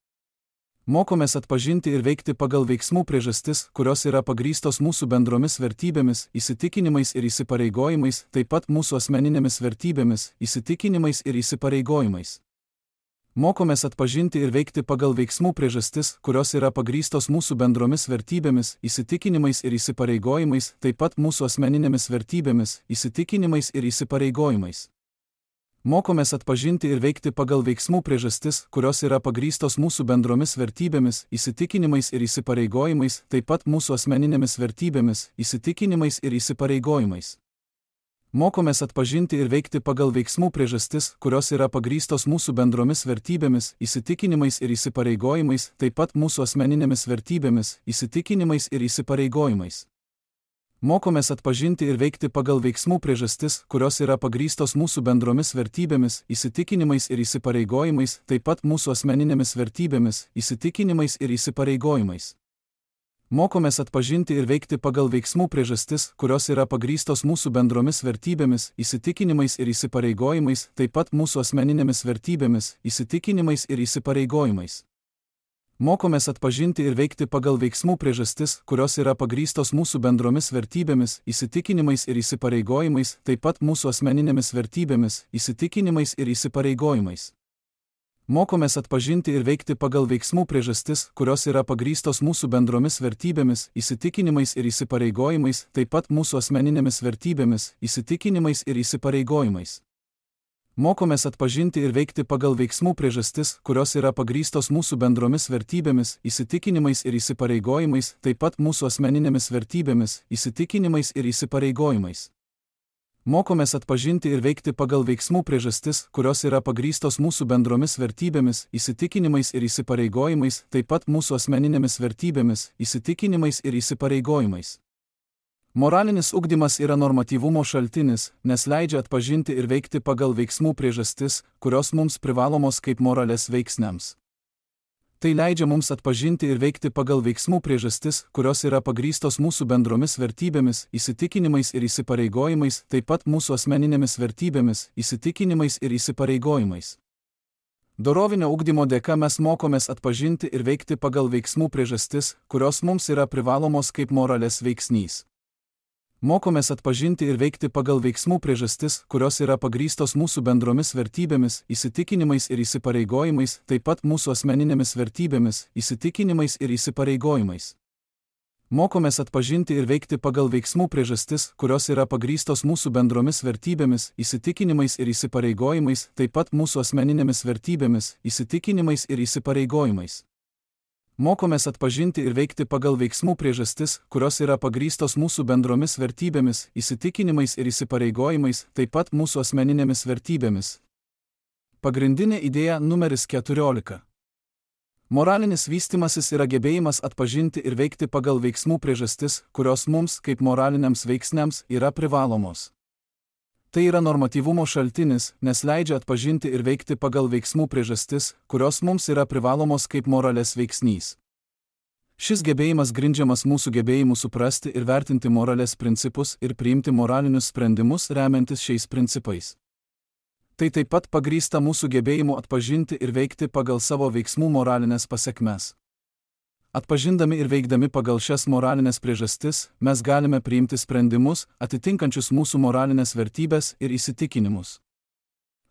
Mokomės atpažinti ir veikti pagal veiksmų priežastis, kurios yra pagrįstos mūsų bendromis vertybėmis, įsitikinimais ir įsipareigojimais, taip pat mūsų asmeninėmis vertybėmis, įsitikinimais ir įsipareigojimais. Mokomės atpažinti ir veikti pagal veiksmų priežastis, kurios yra pagrįstos mūsų bendromis vertybėmis, įsitikinimais ir įsipareigojimais, taip pat mūsų asmeninėmis vertybėmis, įsitikinimais ir įsipareigojimais. Mokomės atpažinti ir veikti pagal veiksmų priežastis, kurios yra pagrįstos mūsų bendromis vertybėmis, įsitikinimais ir įsipareigojimais, taip pat mūsų asmeninėmis vertybėmis, įsitikinimais ir įsipareigojimais. Mokomės atpažinti ir veikti pagal veiksmų priežastis, kurios yra pagrįstos mūsų bendromis vertybėmis, įsitikinimais ir įsipareigojimais, taip pat mūsų asmeninėmis vertybėmis, įsitikinimais ir įsipareigojimais. Mokomės atpažinti ir veikti pagal veiksmų priežastis, kurios yra pagrįstos mūsų bendromis vertybėmis, įsitikinimais ir įsipareigojimais, taip pat mūsų asmeninėmis vertybėmis, įsitikinimais ir įsipareigojimais. Mokomės atpažinti ir veikti pagal veiksmų priežastis, kurios yra pagrįstos mūsų bendromis vertybėmis, įsitikinimais ir įsipareigojimais, taip pat mūsų asmeninėmis vertybėmis, įsitikinimais ir įsipareigojimais. Mokomės atpažinti ir veikti pagal veiksmų priežastis, kurios yra pagrįstos mūsų bendromis vertybėmis, įsitikinimais ir įsipareigojimais, taip pat mūsų asmeninėmis vertybėmis, įsitikinimais ir įsipareigojimais. Mokomės atpažinti ir veikti pagal veiksmų priežastis, kurios yra pagrįstos mūsų bendromis vertybėmis, įsitikinimais ir įsipareigojimais, taip pat mūsų asmeninėmis vertybėmis, įsitikinimais ir įsipareigojimais. Mokomės atpažinti ir veikti pagal veiksmų priežastis, kurios yra pagrįstos mūsų bendromis vertybėmis, įsitikinimais ir įsipareigojimais, taip pat mūsų asmeninėmis vertybėmis, įsitikinimais ir įsipareigojimais. Mokomės atpažinti ir veikti pagal veiksmų priežastis, kurios yra pagrįstos mūsų bendromis vertybėmis, įsitikinimais ir įsipareigojimais, taip pat mūsų asmeninėmis vertybėmis, įsitikinimais ir įsipareigojimais. Moralinis ugdymas yra normatyvumo šaltinis, nes leidžia atpažinti ir veikti pagal veiksmų priežastis, kurios mums privalomos kaip moralės veiksniams. Tai leidžia mums atpažinti ir veikti pagal veiksmų priežastis, kurios yra pagrįstos mūsų bendromis vertybėmis, įsitikinimais ir įsipareigojimais, taip pat mūsų asmeninėmis vertybėmis, įsitikinimais ir įsipareigojimais. Dorovinio ugdymo dėka mes mokomės atpažinti ir veikti pagal veiksmų priežastis, kurios mums yra privalomos kaip moralės veiksnys. Mokomės atpažinti ir veikti pagal veiksmų priežastis, kurios yra pagrįstos mūsų bendromis vertybėmis, įsitikinimais ir įsipareigojimais, taip pat mūsų asmeninėmis vertybėmis, įsitikinimais ir įsipareigojimais. Mokomės atpažinti ir veikti pagal veiksmų priežastis, kurios yra pagrįstos mūsų bendromis vertybėmis, įsitikinimais ir įsipareigojimais, taip pat mūsų asmeninėmis vertybėmis, įsitikinimais ir įsipareigojimais. Mokomės atpažinti ir veikti pagal veiksmų priežastis, kurios yra pagrįstos mūsų bendromis vertybėmis, įsitikinimais ir įsipareigojimais, taip pat mūsų asmeninėmis vertybėmis. Pagrindinė idėja numeris keturiolika. Moralinis vystymasis yra gebėjimas atpažinti ir veikti pagal veiksmų priežastis, kurios mums, kaip moraliniams veiksniams, yra privalomos. Tai yra normatyvumo šaltinis, nes leidžia atpažinti ir veikti pagal veiksmų priežastis, kurios mums yra privalomos kaip moralės veiksnys. Šis gebėjimas grindžiamas mūsų gebėjimu suprasti ir vertinti moralės principus ir priimti moralinius sprendimus remiantis šiais principais. Tai taip pat pagrįsta mūsų gebėjimu atpažinti ir veikti pagal savo veiksmų moralinės pasekmes. Atpažindami ir veikdami pagal šias moralinės priežastis, mes galime priimti sprendimus, atitinkančius mūsų moralinės vertybės ir įsitikinimus.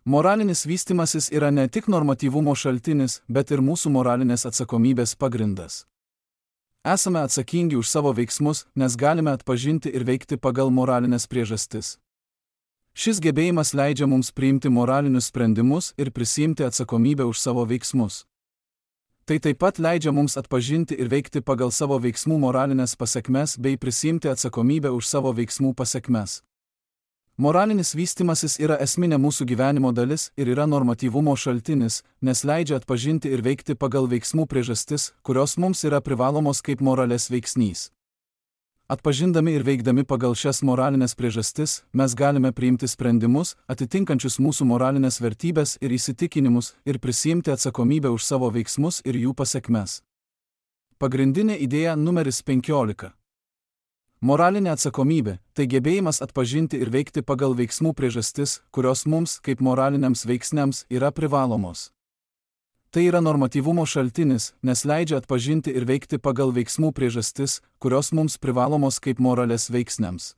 Moralinis vystymasis yra ne tik normatyvumo šaltinis, bet ir mūsų moralinės atsakomybės pagrindas. Esame atsakingi už savo veiksmus, nes galime atpažinti ir veikti pagal moralinės priežastis. Šis gebėjimas leidžia mums priimti moralinius sprendimus ir prisiimti atsakomybę už savo veiksmus. Tai taip pat leidžia mums atpažinti ir veikti pagal savo veiksmų moralinės pasekmes bei prisiimti atsakomybę už savo veiksmų pasekmes. Moralinis vystymasis yra esminė mūsų gyvenimo dalis ir yra normatyvumo šaltinis, nes leidžia atpažinti ir veikti pagal veiksmų priežastis, kurios mums yra privalomos kaip moralės veiksnys. Atpažindami ir veikdami pagal šias moralinės priežastis, mes galime priimti sprendimus, atitinkančius mūsų moralinės vertybės ir įsitikinimus, ir prisiimti atsakomybę už savo veiksmus ir jų pasekmes. Pagrindinė idėja numeris penkiolika. Moralinė atsakomybė – tai gebėjimas atpažinti ir veikti pagal veiksmų priežastis, kurios mums, kaip moraliniams veiksniams, yra privalomos. Tai yra normatyvumo šaltinis, nes leidžia atpažinti ir veikti pagal veiksmų priežastis, kurios mums privalomos kaip moralės veiksniams.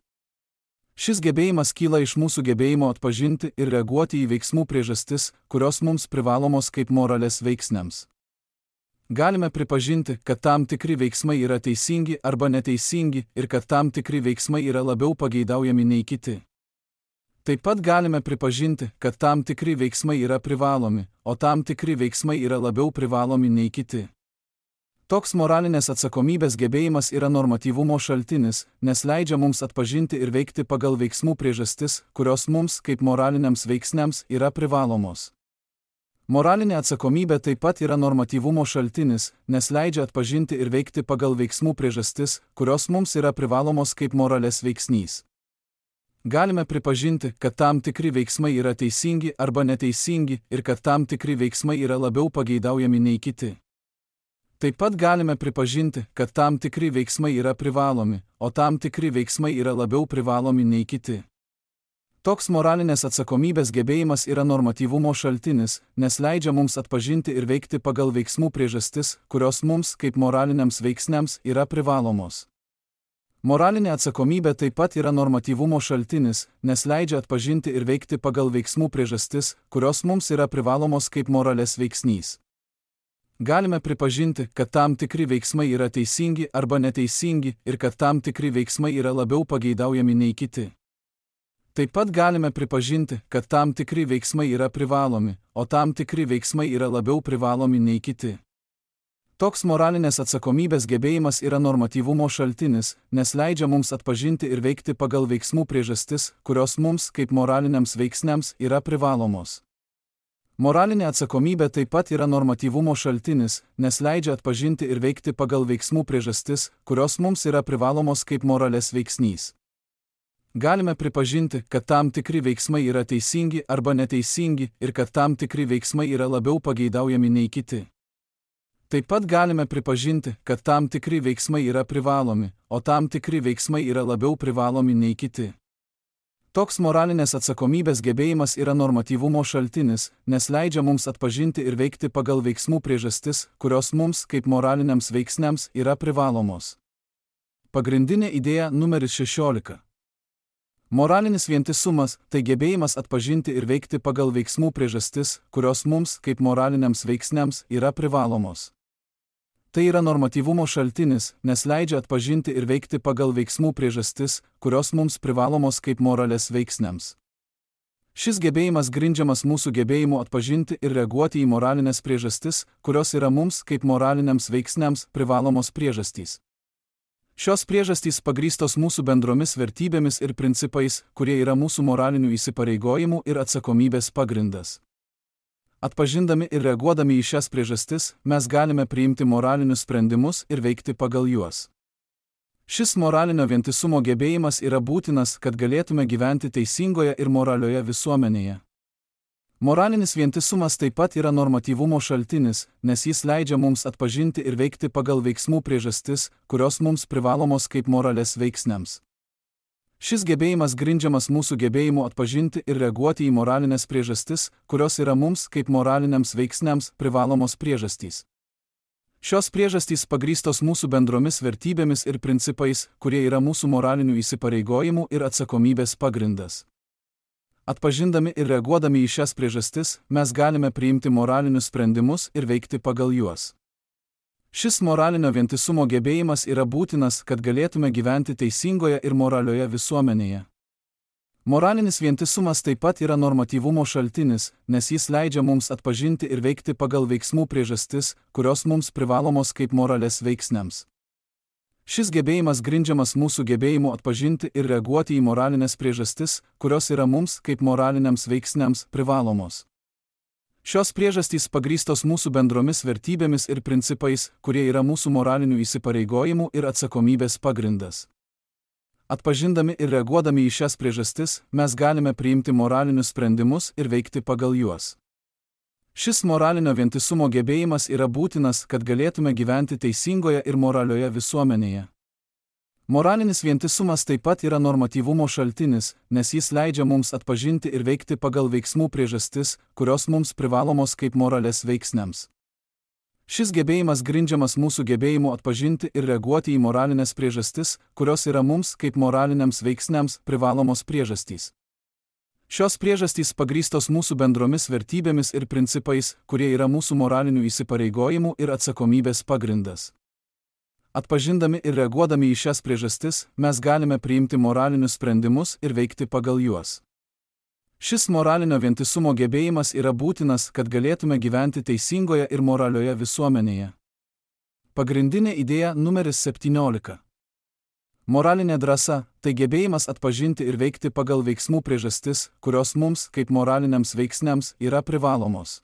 Šis gebėjimas kyla iš mūsų gebėjimo atpažinti ir reaguoti į veiksmų priežastis, kurios mums privalomos kaip moralės veiksniams. Galime pripažinti, kad tam tikri veiksmai yra teisingi arba neteisingi ir kad tam tikri veiksmai yra labiau pageidaujami nei kiti. Taip pat galime pripažinti, kad tam tikri veiksmai yra privalomi, o tam tikri veiksmai yra labiau privalomi nei kiti. Toks moralinės atsakomybės gebėjimas yra normatyvumo šaltinis, nes leidžia mums atpažinti ir veikti pagal veiksmų priežastis, kurios mums, kaip moraliniams veiksniams, yra privalomos. Moralinė atsakomybė taip pat yra normatyvumo šaltinis, nes leidžia atpažinti ir veikti pagal veiksmų priežastis, kurios mums yra privalomos kaip moralės veiksnys. Galime pripažinti, kad tam tikri veiksmai yra teisingi arba neteisingi ir kad tam tikri veiksmai yra labiau pageidaujami nei kiti. Taip pat galime pripažinti, kad tam tikri veiksmai yra privalomi, o tam tikri veiksmai yra labiau privalomi nei kiti. Toks moralinės atsakomybės gebėjimas yra normatyvumo šaltinis, nes leidžia mums atpažinti ir veikti pagal veiksmų priežastis, kurios mums, kaip moraliniams veiksniams, yra privalomos. Moralinė atsakomybė taip pat yra normatyvumo šaltinis, nes leidžia atpažinti ir veikti pagal veiksmų priežastis, kurios mums yra privalomos kaip moralės veiksnys. Galime pripažinti, kad tam tikri veiksmai yra teisingi arba neteisingi ir kad tam tikri veiksmai yra labiau pageidaujami nei kiti. Taip pat galime pripažinti, kad tam tikri veiksmai yra privalomi, o tam tikri veiksmai yra labiau privalomi nei kiti. Toks moralinės atsakomybės gebėjimas yra normatyvumo šaltinis, nes leidžia mums atpažinti ir veikti pagal veiksmų priežastis, kurios mums, kaip moraliniams veiksniams, yra privalomos. Moralinė atsakomybė taip pat yra normatyvumo šaltinis, nes leidžia atpažinti ir veikti pagal veiksmų priežastis, kurios mums yra privalomos kaip moralės veiksnys. Galime pripažinti, kad tam tikri veiksmai yra teisingi arba neteisingi ir kad tam tikri veiksmai yra labiau pageidaujami nei kiti. Taip pat galime pripažinti, kad tam tikri veiksmai yra privalomi, o tam tikri veiksmai yra labiau privalomi nei kiti. Toks moralinės atsakomybės gebėjimas yra normatyvumo šaltinis, nes leidžia mums atpažinti ir veikti pagal veiksmų priežastis, kurios mums, kaip moraliniams veiksniams, yra privalomos. Pagrindinė idėja numeris šešiolika. Moralinis vientisumas – tai gebėjimas atpažinti ir veikti pagal veiksmų priežastis, kurios mums, kaip moraliniams veiksniams, yra privalomos. Tai yra normatyvumo šaltinis, nes leidžia atpažinti ir veikti pagal veiksmų priežastis, kurios mums privalomos kaip moralės veiksniams. Šis gebėjimas grindžiamas mūsų gebėjimu atpažinti ir reaguoti į moralinės priežastis, kurios yra mums, kaip moraliniams veiksniams, privalomos priežastys. Šios priežastys pagrįstos mūsų bendromis vertybėmis ir principais, kurie yra mūsų moralinių įsipareigojimų ir atsakomybės pagrindas. Atpažindami ir reaguodami į šias priežastis, mes galime priimti moralinius sprendimus ir veikti pagal juos. Šis moralinio vientisumo gebėjimas yra būtinas, kad galėtume gyventi teisingoje ir moralioje visuomenėje. Moralinis vientisumas taip pat yra normatyvumo šaltinis, nes jis leidžia mums atpažinti ir veikti pagal veiksmų priežastis, kurios mums privalomos kaip moralės veiksniams. Šis gebėjimas grindžiamas mūsų gebėjimu atpažinti ir reaguoti į moralinės priežastis, kurios yra mums, kaip moraliniams veiksniams, privalomos priežastys. Šios priežastys pagrįstos mūsų bendromis vertybėmis ir principais, kurie yra mūsų moralinių įsipareigojimų ir atsakomybės pagrindas. Atpažindami ir reaguodami į šias priežastis, mes galime priimti moralinius sprendimus ir veikti pagal juos. Šis moralinio vientisumo gebėjimas yra būtinas, kad galėtume gyventi teisingoje ir moralioje visuomenėje. Moralinis vientisumas taip pat yra normatyvumo šaltinis, nes jis leidžia mums atpažinti ir veikti pagal veiksmų priežastis, kurios mums privalomos kaip moralės veiksniams. Šis gebėjimas grindžiamas mūsų gebėjimu atpažinti ir reaguoti į moralinės priežastis, kurios yra mums, kaip moraliniams veiksniams, privalomos. Šios priežastys pagrįstos mūsų bendromis vertybėmis ir principais, kurie yra mūsų moralinių įsipareigojimų ir atsakomybės pagrindas. Atpažindami ir reaguodami į šias priežastis, mes galime priimti moralinius sprendimus ir veikti pagal juos. Šis moralinio vientisumo gebėjimas yra būtinas, kad galėtume gyventi teisingoje ir moralioje visuomenėje. Moralinis vientisumas taip pat yra normatyvumo šaltinis, nes jis leidžia mums atpažinti ir veikti pagal veiksmų priežastis, kurios mums privalomos kaip moralės veiksniams. Šis gebėjimas grindžiamas mūsų gebėjimu atpažinti ir reaguoti į moralinės priežastis, kurios yra mums, kaip moraliniams veiksniams, privalomos priežastys. Šios priežastys pagrįstos mūsų bendromis vertybėmis ir principais, kurie yra mūsų moralinių įsipareigojimų ir atsakomybės pagrindas. Atpažindami ir reaguodami į šias priežastis, mes galime priimti moralinius sprendimus ir veikti pagal juos. Šis moralinio vientisumo gebėjimas yra būtinas, kad galėtume gyventi teisingoje ir moralioje visuomenėje. Pagrindinė idėja numeris septyniolika. Moralinė drąsa – tai gebėjimas atpažinti ir veikti pagal veiksmų priežastis, kurios mums, kaip moraliniams veiksniams, yra privalomos.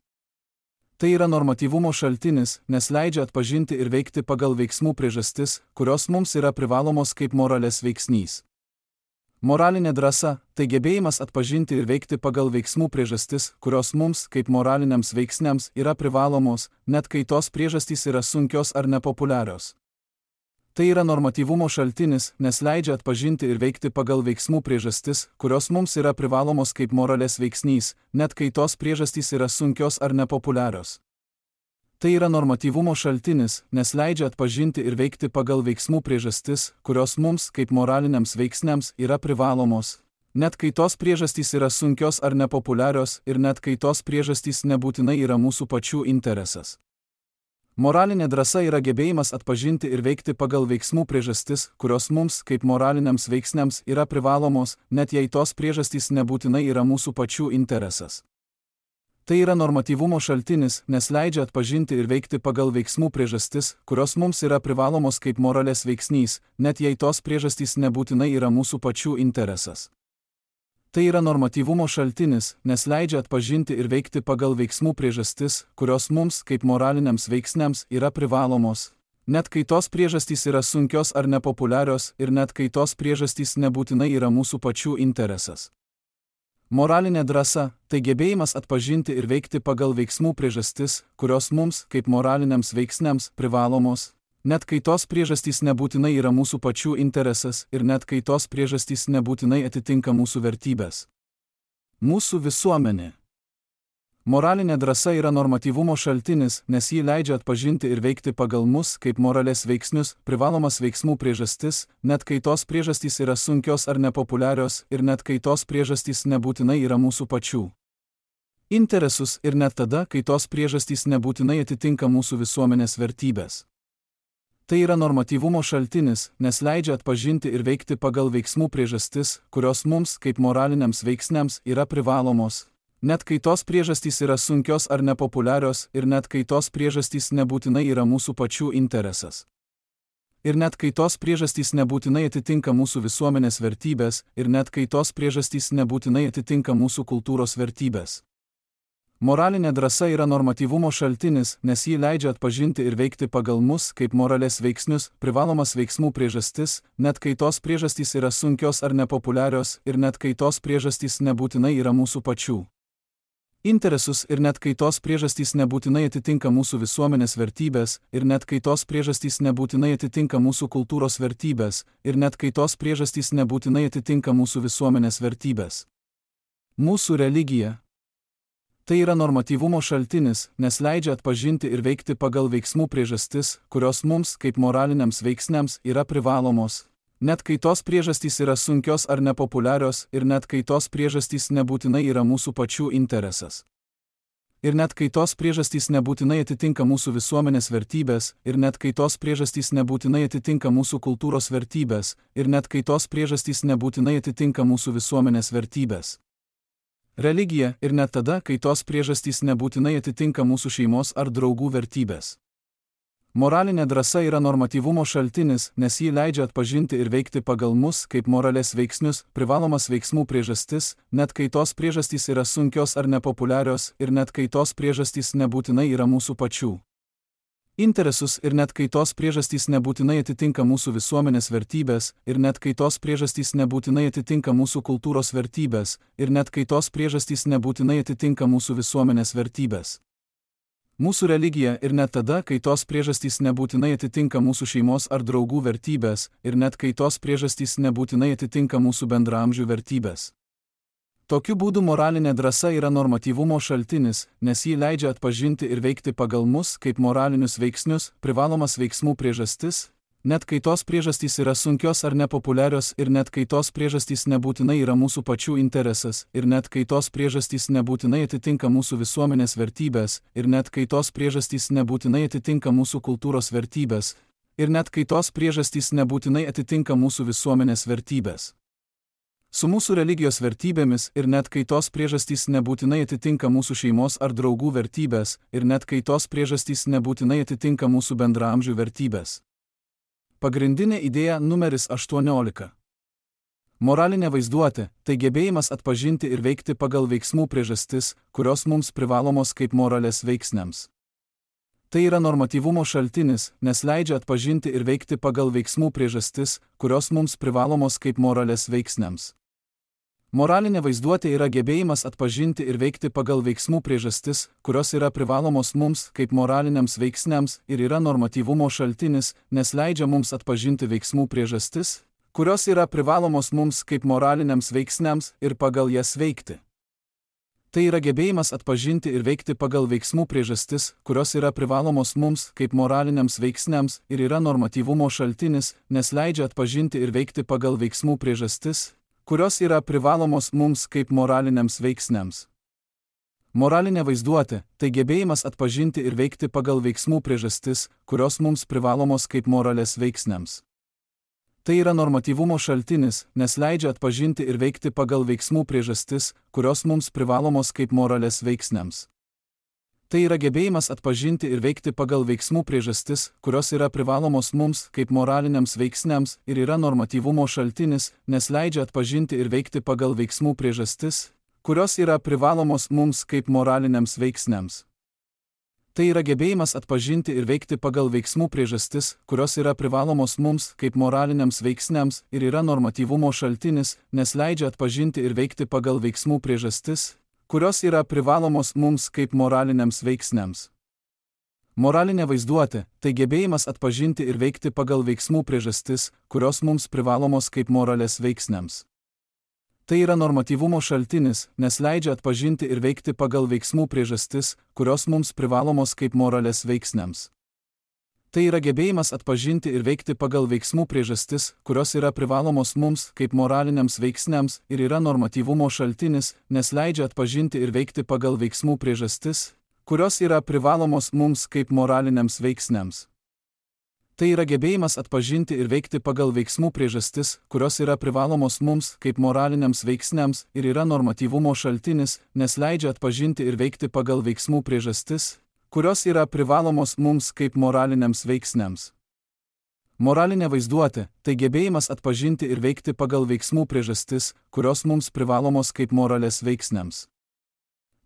Tai yra normatyvumo šaltinis, nes leidžia atpažinti ir veikti pagal veiksmų priežastis, kurios mums yra privalomos kaip moralės veiksnys. Moralinė drąsa – tai gebėjimas atpažinti ir veikti pagal veiksmų priežastis, kurios mums, kaip moraliniams veiksniams, yra privalomos, net kai tos priežastys yra sunkios ar nepopuliarios. Tai yra normatyvumo šaltinis, nes leidžia atpažinti ir veikti pagal veiksmų priežastis, kurios mums yra privalomos kaip moralės veiksnys, net kai tos priežastys yra sunkios ar nepopuliarios. Tai yra normatyvumo šaltinis, nes leidžia atpažinti ir veikti pagal veiksmų priežastis, kurios mums, kaip moraliniams veiksniams, yra privalomos, net kai tos priežastys yra sunkios ar nepopuliarios ir net kai tos priežastys nebūtinai yra mūsų pačių interesas. Moralinė drąsa yra gebėjimas atpažinti ir veikti pagal veiksmų priežastis, kurios mums, kaip moraliniams veiksniams, yra privalomos, net jei tos priežastys nebūtinai yra mūsų pačių interesas. Tai yra normatyvumo šaltinis, nes leidžia atpažinti ir veikti pagal veiksmų priežastis, kurios mums yra privalomos kaip moralės veiksnys, net jei tos priežastys nebūtinai yra mūsų pačių interesas. Tai yra normatyvumo šaltinis, nes leidžia atpažinti ir veikti pagal veiksmų priežastis, kurios mums, kaip moraliniams veiksniams, yra privalomos, net kai tos priežastys yra sunkios ar nepopuliarios ir net kai tos priežastys nebūtinai yra mūsų pačių interesas. Moralinė drąsa – tai gebėjimas atpažinti ir veikti pagal veiksmų priežastis, kurios mums, kaip moraliniams veiksniams, privalomos, net kai tos priežastys nebūtinai yra mūsų pačių interesas ir net kai tos priežastys nebūtinai atitinka mūsų vertybės. Mūsų visuomenė. Moralinė drąsa yra normatyvumo šaltinis, nes ji leidžia atpažinti ir veikti pagal mus, kaip moralės veiksnius, privalomas veiksmų priežastis, net kai tos priežastys yra sunkios ar nepopuliarios ir net kai tos priežastys nebūtinai yra mūsų pačių interesus ir net tada, kai tos priežastys nebūtinai atitinka mūsų visuomenės vertybės. Tai yra normatyvumo šaltinis, nes leidžia atpažinti ir veikti pagal veiksmų priežastis, kurios mums, kaip moraliniams veiksniams, yra privalomos, net kai tos priežastys yra sunkios ar nepopuliarios ir net kai tos priežastys nebūtinai yra mūsų pačių interesas. Ir net kai tos priežastys nebūtinai atitinka mūsų visuomenės vertybės ir net kai tos priežastys nebūtinai atitinka mūsų kultūros vertybės. Moralinė drąsa yra normatyvumo šaltinis, nes ji leidžia atpažinti ir veikti pagal mus, kaip moralės veiksnius, privalomas veiksmų priežastis, net kai tos priežastys yra sunkios ar nepopuliarios ir net kai tos priežastys nebūtinai yra mūsų pačių interesus ir net kai tos priežastys nebūtinai atitinka mūsų visuomenės vertybės ir net kai tos priežastys nebūtinai atitinka mūsų kultūros vertybės ir net kai tos priežastys nebūtinai atitinka mūsų visuomenės vertybės. Mūsų religija. Tai yra normatyvumo šaltinis, nes leidžia atpažinti ir veikti pagal veiksmų priežastis, kurios mums, kaip moraliniams veiksniams, yra privalomos, net kai tos priežastys yra sunkios ar nepopuliarios ir net kai tos priežastys nebūtinai yra mūsų pačių interesas. Ir net kai tos priežastys nebūtinai atitinka mūsų visuomenės vertybės ir net kai tos priežastys nebūtinai atitinka mūsų kultūros vertybės ir net kai tos priežastys nebūtinai atitinka mūsų visuomenės vertybės. Religija ir net tada, kai tos priežastys nebūtinai atitinka mūsų šeimos ar draugų vertybės. Moralinė drąsa yra normatyvumo šaltinis, nes ji leidžia atpažinti ir veikti pagal mus, kaip moralės veiksnius, privalomas veiksmų priežastis, net kai tos priežastys yra sunkios ar nepopuliarios ir net kai tos priežastys nebūtinai yra mūsų pačių interesus ir net kai tos priežastys nebūtinai atitinka mūsų visuomenės vertybės ir net kai tos priežastys nebūtinai atitinka mūsų kultūros vertybės ir net kai tos priežastys nebūtinai atitinka mūsų visuomenės vertybės. Mūsų religija ir net tada, kai tos priežastys nebūtinai atitinka mūsų šeimos ar draugų vertybės ir net kai tos priežastys nebūtinai atitinka mūsų bendraamžių vertybės. Tokiu būdu moralinė drąsa yra normatyvumo šaltinis, nes ji leidžia atpažinti ir veikti pagal mus, kaip moralinius veiksnius, privalomas veiksmų priežastis, net kai tos priežastys yra sunkios ar nepopuliarios ir net kai tos priežastys nebūtinai yra mūsų pačių interesas ir net kai tos priežastys nebūtinai atitinka mūsų visuomenės vertybės ir net kai tos priežastys nebūtinai atitinka mūsų kultūros vertybės ir net kai tos priežastys nebūtinai atitinka mūsų visuomenės vertybės. Su mūsų religijos vertybėmis ir net kai tos priežastys nebūtinai atitinka mūsų šeimos ar draugų vertybės ir net kai tos priežastys nebūtinai atitinka mūsų bendraamžių vertybės. Pagrindinė idėja numeris aštuoniolika. Moralinė vaizduotė – tai gebėjimas atpažinti ir veikti pagal veiksmų priežastis, kurios mums privalomos kaip moralės veiksniams. Tai yra normatyvumo šaltinis, nes leidžia atpažinti ir veikti pagal veiksmų priežastis, kurios mums privalomos kaip moralės veiksniams. Moralinė vaizduotė yra gebėjimas atpažinti ir veikti pagal veiksmų priežastis, kurios yra privalomos mums kaip moraliniams veiksniams ir yra normatyvumo šaltinis, nes leidžia mums atpažinti veiksmų priežastis, kurios yra privalomos mums kaip moraliniams veiksniams ir pagal jas veikti. Tai yra gebėjimas atpažinti ir veikti pagal veiksmų priežastis, kurios yra privalomos mums kaip moraliniams veiksniams ir yra normatyvumo šaltinis, nes leidžia atpažinti ir veikti pagal veiksmų priežastis, kurios yra privalomos mums kaip moraliniams veiksniams. Moralinė vaizduotė – tai gebėjimas atpažinti ir veikti pagal veiksmų priežastis, kurios mums privalomos kaip moralės veiksniams. Tai yra normatyvumo šaltinis, nes leidžia atpažinti ir veikti pagal veiksmų priežastis, kurios mums privalomos kaip moralės veiksniams. Tai yra gebėjimas atpažinti ir veikti pagal veiksmų priežastis, kurios yra privalomos mums kaip moraliniams veiksniams ir yra normatyvumo šaltinis, nes leidžia atpažinti ir veikti pagal veiksmų priežastis, kurios yra privalomos mums kaip moraliniams veiksniams. Tai yra gebėjimas atpažinti ir veikti pagal veiksmų priežastis, kurios yra privalomos mums kaip moraliniams veiksniams ir yra normatyvumo šaltinis, nes leidžia atpažinti ir veikti pagal veiksmų priežastis, kurios yra privalomos mums kaip moraliniams veiksniams. Moralinė vaizduotė – tai gebėjimas atpažinti ir veikti pagal veiksmų priežastis, kurios mums privalomos kaip moralės veiksniams. Tai yra normatyvumo šaltinis, nes leidžia atpažinti ir veikti pagal veiksmų priežastis, kurios mums privalomos kaip moralės veiksniams. Tai yra gebėjimas atpažinti ir veikti pagal veiksmų priežastis, kurios yra privalomos mums kaip moraliniams veiksniams ir yra normatyvumo šaltinis, nes leidžia atpažinti ir veikti pagal veiksmų priežastis, kurios yra privalomos mums kaip moraliniams veiksniams. Tai yra gebėjimas atpažinti ir veikti pagal veiksmų priežastis, kurios yra privalomos mums kaip moraliniams veiksniams ir yra normatyvumo šaltinis, nes leidžia atpažinti ir veikti pagal veiksmų priežastis, kurios yra privalomos mums kaip moraliniams veiksniams. Moralinė vaizduotė – tai gebėjimas atpažinti ir veikti pagal veiksmų priežastis, kurios mums privalomos kaip moralės veiksniams.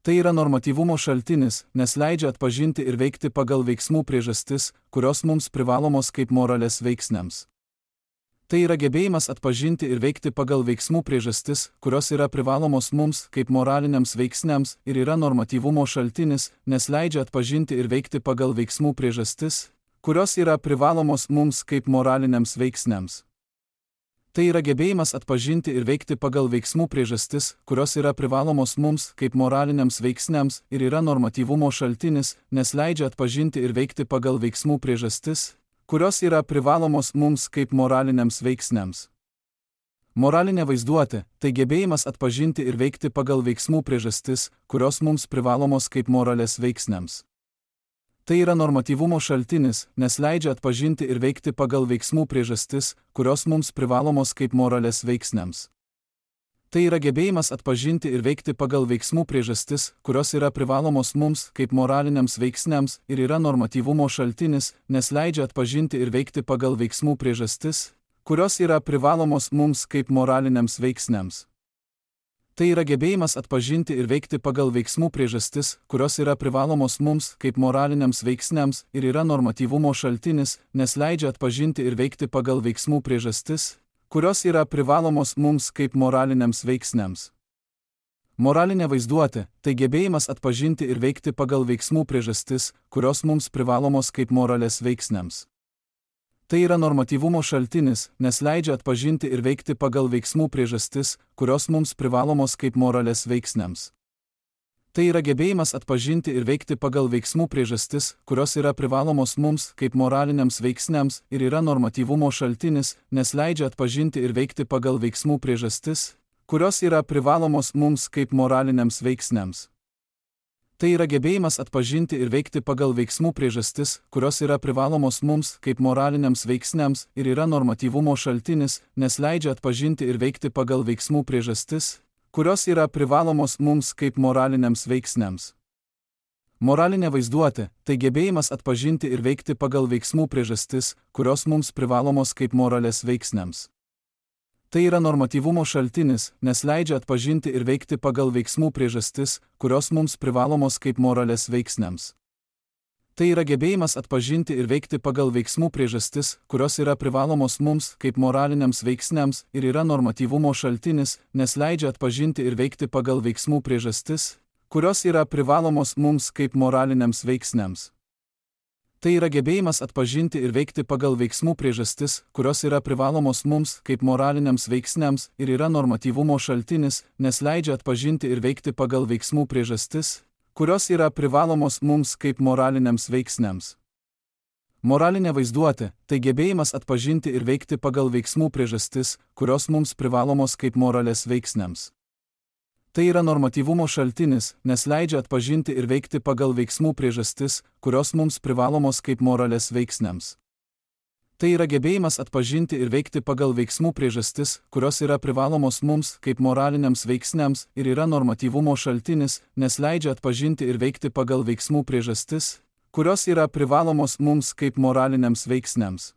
Tai yra normatyvumo šaltinis, nes leidžia atpažinti ir veikti pagal veiksmų priežastis, kurios mums privalomos kaip moralės veiksniams. Tai yra gebėjimas atpažinti ir veikti pagal veiksmų priežastis, kurios yra privalomos mums kaip moraliniams veiksniams ir yra normatyvumo šaltinis, nes leidžia atpažinti ir veikti pagal veiksmų priežastis, kurios yra privalomos mums kaip moraliniams veiksniams. Tai yra gebėjimas atpažinti ir veikti pagal veiksmų priežastis, kurios yra privalomos mums kaip moraliniams veiksniams ir yra normatyvumo šaltinis, nes leidžia atpažinti ir veikti pagal veiksmų priežastis, kurios yra privalomos mums kaip moraliniams veiksniams. Moralinė vaizduotė – tai gebėjimas atpažinti ir veikti pagal veiksmų priežastis, kurios mums privalomos kaip moralės veiksniams. Tai yra normatyvumo šaltinis, nes leidžia atpažinti ir veikti pagal veiksmų priežastis, kurios mums privalomos kaip moralės veiksniams. Tai yra gebėjimas atpažinti ir veikti pagal veiksmų priežastis, kurios yra privalomos mums kaip moraliniams veiksniams ir yra normatyvumo šaltinis, nes leidžia atpažinti ir veikti pagal veiksmų priežastis, kurios yra privalomos mums kaip moraliniams veiksniams. Tai yra gebėjimas atpažinti ir veikti pagal veiksmų priežastis, kurios yra privalomos mums kaip moraliniams veiksniams ir yra normatyvumo šaltinis, nes leidžia atpažinti ir veikti pagal veiksmų priežastis, kurios yra privalomos mums kaip moraliniams veiksniams. Moralinė vaizduotė – tai gebėjimas atpažinti ir veikti pagal veiksmų priežastis, kurios mums privalomos kaip moralės veiksniams. Tai yra normatyvumo šaltinis, nes leidžia atpažinti ir veikti pagal veiksmų priežastis, kurios mums privalomos kaip moralės veiksniams. Tai yra gebėjimas atpažinti ir veikti pagal veiksmų priežastis, kurios yra privalomos mums kaip moraliniams veiksniams ir yra normatyvumo šaltinis, nes leidžia atpažinti ir veikti pagal veiksmų priežastis, kurios yra privalomos mums kaip moraliniams veiksniams. Tai yra gebėjimas atpažinti ir veikti pagal veiksmų priežastis, kurios yra privalomos mums kaip moraliniams veiksniams ir yra normatyvumo šaltinis, nes leidžia atpažinti ir veikti pagal veiksmų priežastis, kurios yra privalomos mums kaip moraliniams veiksniams. Moralinė vaizduotė – tai gebėjimas atpažinti ir veikti pagal veiksmų priežastis, kurios mums privalomos kaip moralės veiksniams. Tai yra normatyvumo šaltinis, nes leidžia atpažinti ir veikti pagal veiksmų priežastis, kurios mums privalomos kaip moralės veiksniams. Tai yra gebėjimas atpažinti ir veikti pagal veiksmų priežastis, kurios yra privalomos mums kaip moraliniams veiksniams ir yra normatyvumo šaltinis, nes leidžia atpažinti ir veikti pagal veiksmų priežastis, kurios yra privalomos mums kaip moraliniams veiksniams. Tai yra gebėjimas atpažinti ir veikti pagal veiksmų priežastis, kurios yra privalomos mums kaip moraliniams veiksniams ir yra normatyvumo šaltinis, nes leidžia atpažinti ir veikti pagal veiksmų priežastis, kurios yra privalomos mums kaip moraliniams veiksniams. Moralinė vaizduotė – tai gebėjimas atpažinti ir veikti pagal veiksmų priežastis, kurios mums privalomos kaip moralės veiksniams. Tai yra normatyvumo šaltinis, nes leidžia atpažinti ir veikti pagal veiksmų priežastis, kurios mums privalomos kaip moralės veiksniams. Tai yra gebėjimas atpažinti ir veikti pagal veiksmų priežastis, kurios yra privalomos mums kaip moraliniams veiksniams ir yra normatyvumo šaltinis, nes leidžia atpažinti ir veikti pagal veiksmų priežastis, kurios yra privalomos mums kaip moraliniams veiksniams.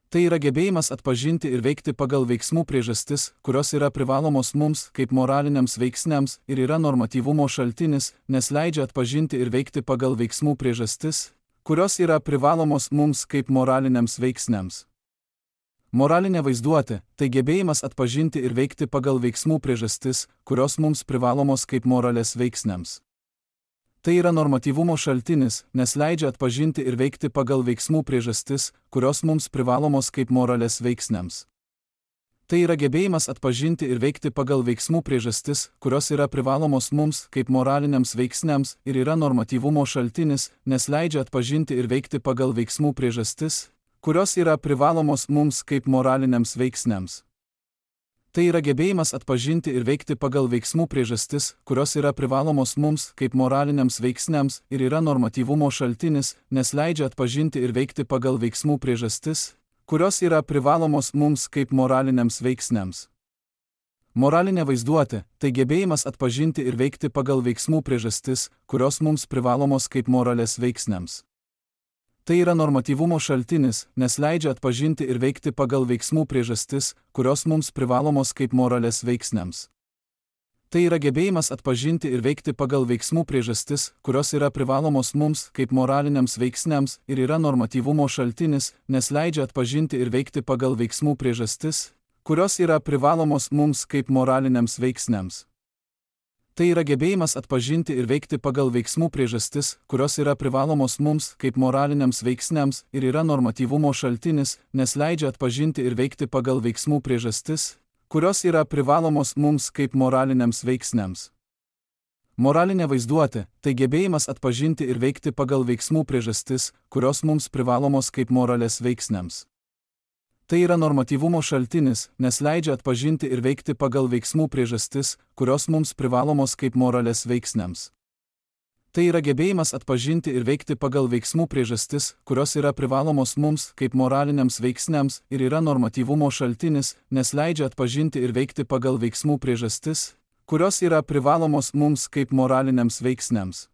Tai yra gebėjimas atpažinti ir veikti pagal veiksmų priežastis, kurios yra privalomos mums kaip moraliniams veiksniams ir yra normatyvumo šaltinis, nes leidžia atpažinti ir veikti pagal veiksmų priežastis, kurios yra privalomos mums kaip moraliniams veiksniams. Moralinė vaizduotė – tai gebėjimas atpažinti ir veikti pagal veiksmų priežastis, kurios mums privalomos kaip moralės veiksniams. Tai yra normatyvumo šaltinis, nes leidžia atpažinti ir veikti pagal veiksmų priežastis, kurios mums privalomos kaip moralės veiksniams. Tai yra gebėjimas atpažinti ir veikti pagal veiksmų priežastis, kurios yra privalomos mums kaip moraliniams veiksniams ir yra normatyvumo šaltinis, nes leidžia atpažinti ir veikti pagal veiksmų priežastis, kurios yra privalomos mums kaip moraliniams veiksniams. Tai yra gebėjimas atpažinti ir veikti pagal veiksmų priežastis, kurios yra privalomos mums kaip moraliniams veiksniams ir yra normatyvumo šaltinis, nes leidžia atpažinti ir veikti pagal veiksmų priežastis, kurios yra privalomos mums kaip moraliniams veiksniams. Moralinė vaizduotė – tai gebėjimas atpažinti ir veikti pagal veiksmų priežastis, kurios mums privalomos kaip moralės veiksniams. Tai yra normatyvumo šaltinis, nes leidžia atpažinti ir veikti pagal veiksmų priežastis, kurios mums privalomos kaip moralės veiksniams. Tai yra gebėjimas atpažinti ir veikti pagal veiksmų priežastis, kurios yra privalomos mums kaip moraliniams veiksniams ir yra normatyvumo šaltinis, nes leidžia atpažinti ir veikti pagal veiksmų priežastis, kurios yra privalomos mums kaip moraliniams veiksniams. Tai yra gebėjimas atpažinti ir veikti pagal veiksmų priežastis, kurios yra privalomos mums kaip moraliniams veiksniams ir yra normatyvumo šaltinis, nes leidžia atpažinti ir veikti pagal veiksmų priežastis, kurios yra privalomos mums kaip moraliniams veiksniams. Moralinė vaizduotė – tai gebėjimas atpažinti ir veikti pagal veiksmų priežastis, kurios mums privalomos kaip moralės veiksniams. Tai yra normatyvumo šaltinis, nes leidžia atpažinti ir veikti pagal veiksmų priežastis, kurios mums privalomos kaip moralės veiksniams. Tai yra gebėjimas atpažinti ir veikti pagal veiksmų priežastis, kurios yra privalomos mums kaip moraliniams veiksniams ir yra normatyvumo šaltinis, nes leidžia atpažinti ir veikti pagal veiksmų priežastis, kurios yra privalomos mums kaip moraliniams veiksniams.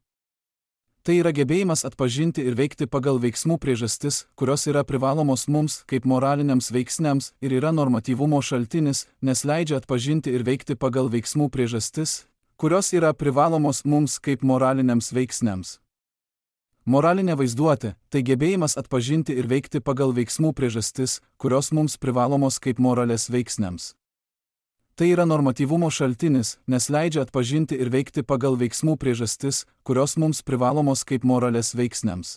Tai yra gebėjimas atpažinti ir veikti pagal veiksmų priežastis, kurios yra privalomos mums kaip moraliniams veiksniams ir yra normatyvumo šaltinis, nes leidžia atpažinti ir veikti pagal veiksmų priežastis, kurios yra privalomos mums kaip moraliniams veiksniams. Moralinė vaizduotė – tai gebėjimas atpažinti ir veikti pagal veiksmų priežastis, kurios mums privalomos kaip moralės veiksniams. Tai yra normatyvumo šaltinis, nes leidžia atpažinti ir veikti pagal veiksmų priežastis, kurios mums privalomos kaip moralės veiksniams.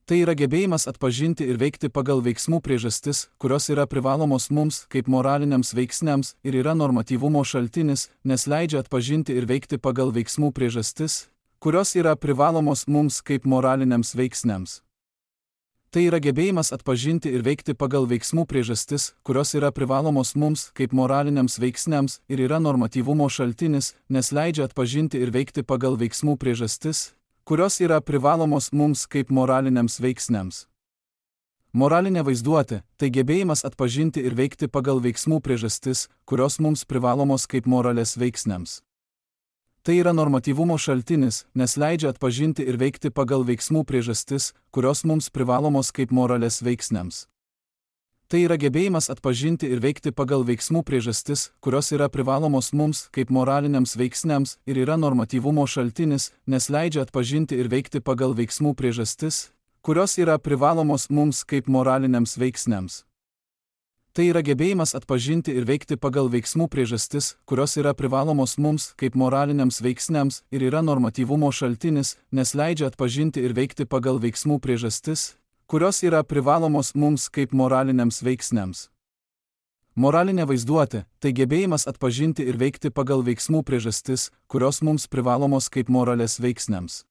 Tai yra gebėjimas atpažinti ir veikti pagal veiksmų priežastis, kurios yra privalomos mums kaip moraliniams veiksniams ir yra normatyvumo šaltinis, nes leidžia atpažinti ir veikti pagal veiksmų priežastis, kurios yra privalomos mums kaip moraliniams veiksniams. Tai yra gebėjimas atpažinti ir veikti pagal veiksmų priežastis, kurios yra privalomos mums kaip moraliniams veiksniams ir yra normatyvumo šaltinis, nes leidžia atpažinti ir veikti pagal veiksmų priežastis, kurios yra privalomos mums kaip moraliniams veiksniams. Moralinė vaizduotė – tai gebėjimas atpažinti ir veikti pagal veiksmų priežastis, kurios mums privalomos kaip moralės veiksniams. Tai yra normatyvumo šaltinis, nes leidžia atpažinti ir veikti pagal veiksmų priežastis, kurios mums privalomos kaip moralės veiksniams. Tai yra gebėjimas atpažinti ir veikti pagal veiksmų priežastis, kurios yra privalomos mums kaip moraliniams veiksniams ir yra normatyvumo šaltinis, nes leidžia atpažinti ir veikti pagal veiksmų priežastis, kurios yra privalomos mums kaip moraliniams veiksniams. Tai yra gebėjimas atpažinti ir veikti pagal veiksmų priežastis, kurios yra privalomos mums kaip moraliniams veiksniams ir yra normatyvumo šaltinis, nes leidžia atpažinti ir veikti pagal veiksmų priežastis, kurios yra privalomos mums kaip moraliniams veiksniams. Moralinė vaizduotė – tai gebėjimas atpažinti ir veikti pagal veiksmų priežastis, kurios mums privalomos kaip moralės veiksniams.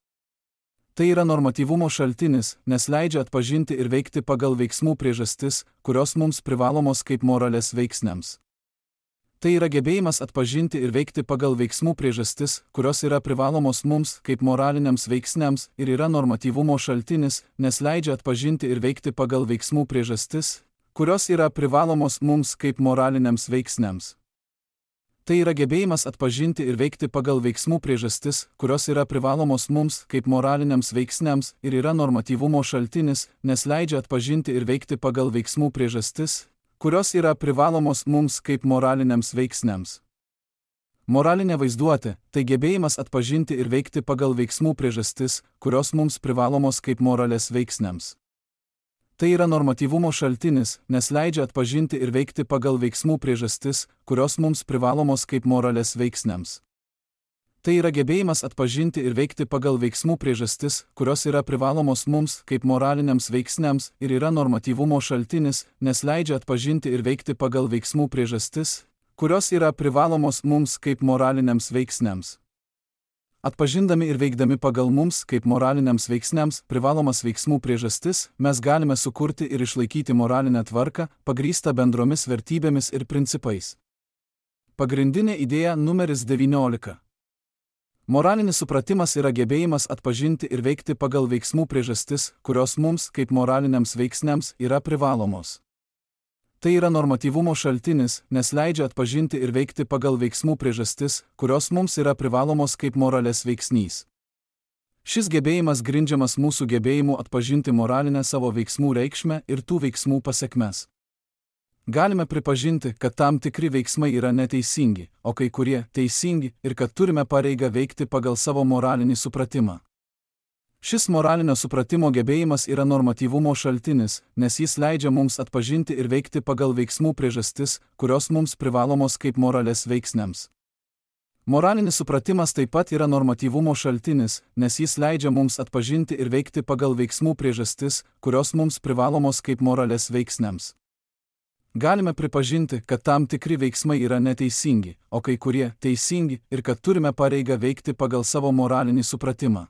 Tai yra normatyvumo šaltinis, nes leidžia atpažinti ir veikti pagal veiksmų priežastis, kurios mums privalomos kaip moralės veiksniams. Tai yra gebėjimas atpažinti ir veikti pagal veiksmų priežastis, kurios yra privalomos mums kaip moraliniams veiksniams ir yra normatyvumo šaltinis, nes leidžia atpažinti ir veikti pagal veiksmų priežastis, kurios yra privalomos mums kaip moraliniams veiksniams. Tai yra gebėjimas atpažinti ir veikti pagal veiksmų priežastis, kurios yra privalomos mums kaip moraliniams veiksniams ir yra normatyvumo šaltinis, nes leidžia atpažinti ir veikti pagal veiksmų priežastis, kurios yra privalomos mums kaip moraliniams veiksniams. Moralinė vaizduotė – tai gebėjimas atpažinti ir veikti pagal veiksmų priežastis, kurios mums privalomos kaip moralės veiksniams. Tai yra normatyvumo šaltinis, nes leidžia atpažinti ir veikti pagal veiksmų priežastis, kurios mums privalomos kaip moralės veiksniams. Tai yra gebėjimas atpažinti ir veikti pagal veiksmų priežastis, kurios yra privalomos mums kaip moraliniams veiksniams ir yra normatyvumo šaltinis, nes leidžia atpažinti ir veikti pagal veiksmų priežastis, kurios yra privalomos mums kaip moraliniams veiksniams. Atpažindami ir veikdami pagal mums kaip moraliniams veiksniams privalomas veiksmų priežastis, mes galime sukurti ir išlaikyti moralinę tvarką, pagrįstą bendromis vertybėmis ir principais. Pagrindinė idėja numeris devyniolika. Moralinis supratimas yra gebėjimas atpažinti ir veikti pagal veiksmų priežastis, kurios mums, kaip moraliniams veiksniams, yra privalomos. Tai yra normatyvumo šaltinis, nes leidžia atpažinti ir veikti pagal veiksmų priežastis, kurios mums yra privalomos kaip moralės veiksnys. Šis gebėjimas grindžiamas mūsų gebėjimu atpažinti moralinę savo veiksmų reikšmę ir tų veiksmų pasekmes. Galime pripažinti, kad tam tikri veiksmai yra neteisingi, o kai kurie teisingi ir kad turime pareigą veikti pagal savo moralinį supratimą. Šis moralinio supratimo gebėjimas yra normatyvumo šaltinis, nes jis leidžia mums atpažinti ir veikti pagal veiksmų priežastis, kurios mums privalomos kaip moralės veiksniams. Moralinis supratimas taip pat yra normatyvumo šaltinis, nes jis leidžia mums atpažinti ir veikti pagal veiksmų priežastis, kurios mums privalomos kaip moralės veiksniams. Galime pripažinti, kad tam tikri veiksmai yra neteisingi, o kai kurie teisingi ir kad turime pareigą veikti pagal savo moralinį supratimą.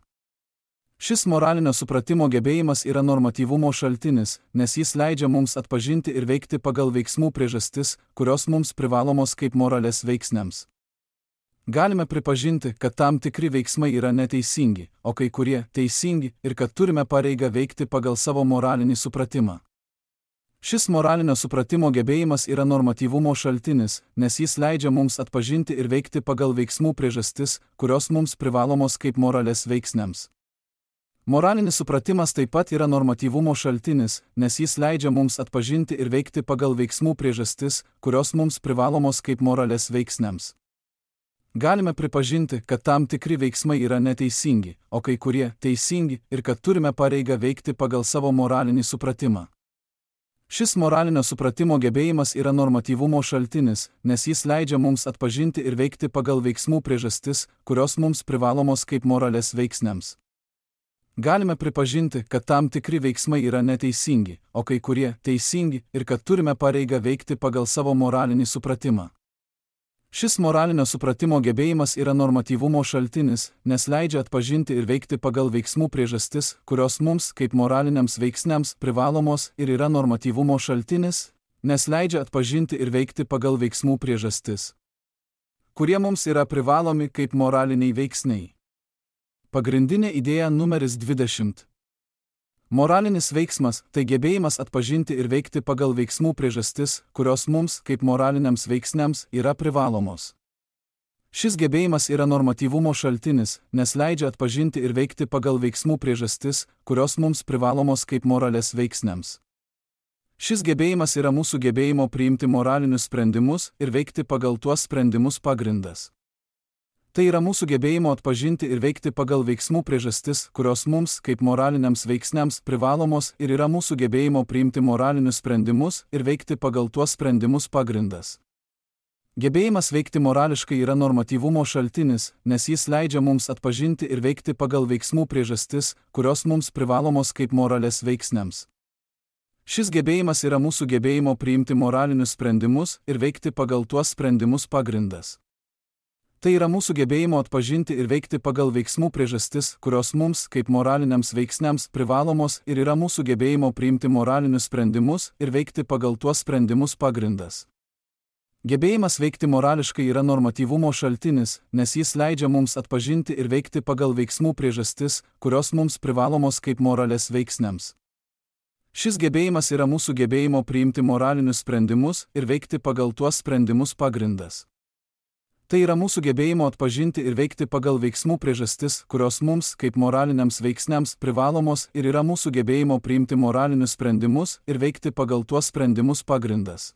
Šis moralinio supratimo gebėjimas yra normatyvumo šaltinis, nes jis leidžia mums atpažinti ir veikti pagal veiksmų priežastis, kurios mums privalomos kaip moralės veiksniams. Galime pripažinti, kad tam tikri veiksmai yra neteisingi, o kai kurie teisingi ir kad turime pareigą veikti pagal savo moralinį supratimą. Šis moralinio supratimo gebėjimas yra normatyvumo šaltinis, nes jis leidžia mums atpažinti ir veikti pagal veiksmų priežastis, kurios mums privalomos kaip moralės veiksniams. Moralinis supratimas taip pat yra normatyvumo šaltinis, nes jis leidžia mums atpažinti ir veikti pagal veiksmų priežastis, kurios mums privalomos kaip moralės veiksniams. Galime pripažinti, kad tam tikri veiksmai yra neteisingi, o kai kurie teisingi ir kad turime pareigą veikti pagal savo moralinį supratimą. Šis moralinio supratimo gebėjimas yra normatyvumo šaltinis, nes jis leidžia mums atpažinti ir veikti pagal veiksmų priežastis, kurios mums privalomos kaip moralės veiksniams. Galime pripažinti, kad tam tikri veiksmai yra neteisingi, o kai kurie teisingi ir kad turime pareigą veikti pagal savo moralinį supratimą. Šis moralinio supratimo gebėjimas yra normatyvumo šaltinis, nes leidžia atpažinti ir veikti pagal veiksmų priežastis, kurios mums, kaip moraliniams veiksniams, privalomos ir yra normatyvumo šaltinis, nes leidžia atpažinti ir veikti pagal veiksmų priežastis, kurie mums yra privalomi kaip moraliniai veiksniai. Pagrindinė idėja numeris dvidešimt. Moralinis veiksmas – tai gebėjimas atpažinti ir veikti pagal veiksmų priežastis, kurios mums, kaip moraliniams veiksniams, yra privalomos. Šis gebėjimas yra normatyvumo šaltinis, nes leidžia atpažinti ir veikti pagal veiksmų priežastis, kurios mums privalomos kaip moralės veiksniams. Šis gebėjimas yra mūsų gebėjimo priimti moralinius sprendimus ir veikti pagal tuos sprendimus pagrindas. Tai yra mūsų gebėjimo atpažinti ir veikti pagal veiksmų priežastis, kurios mums, kaip moraliniams veiksniams, privalomos ir yra mūsų gebėjimo priimti moralinius sprendimus ir veikti pagal tuos sprendimus pagrindas. Gebėjimas veikti morališkai yra normatyvumo šaltinis, nes jis leidžia mums atpažinti ir veikti pagal veiksmų priežastis, kurios mums privalomos kaip moralės veiksniams. Šis gebėjimas yra mūsų gebėjimo priimti moralinius sprendimus ir veikti pagal tuos sprendimus pagrindas. Tai yra mūsų gebėjimo atpažinti ir veikti pagal veiksmų priežastis, kurios mums, kaip moraliniams veiksniams, privalomos ir yra mūsų gebėjimo priimti moralinius sprendimus ir veikti pagal tuos sprendimus pagrindas. Gebėjimas veikti morališkai yra normatyvumo šaltinis, nes jis leidžia mums atpažinti ir veikti pagal veiksmų priežastis, kurios mums privalomos kaip moralės veiksniams. Šis gebėjimas yra mūsų gebėjimo priimti moralinius sprendimus ir veikti pagal tuos sprendimus pagrindas. Tai yra mūsų gebėjimo atpažinti ir veikti pagal veiksmų priežastis, kurios mums, kaip moraliniams veiksniams, privalomos ir yra mūsų gebėjimo priimti moralinius sprendimus ir veikti pagal tuos sprendimus pagrindas.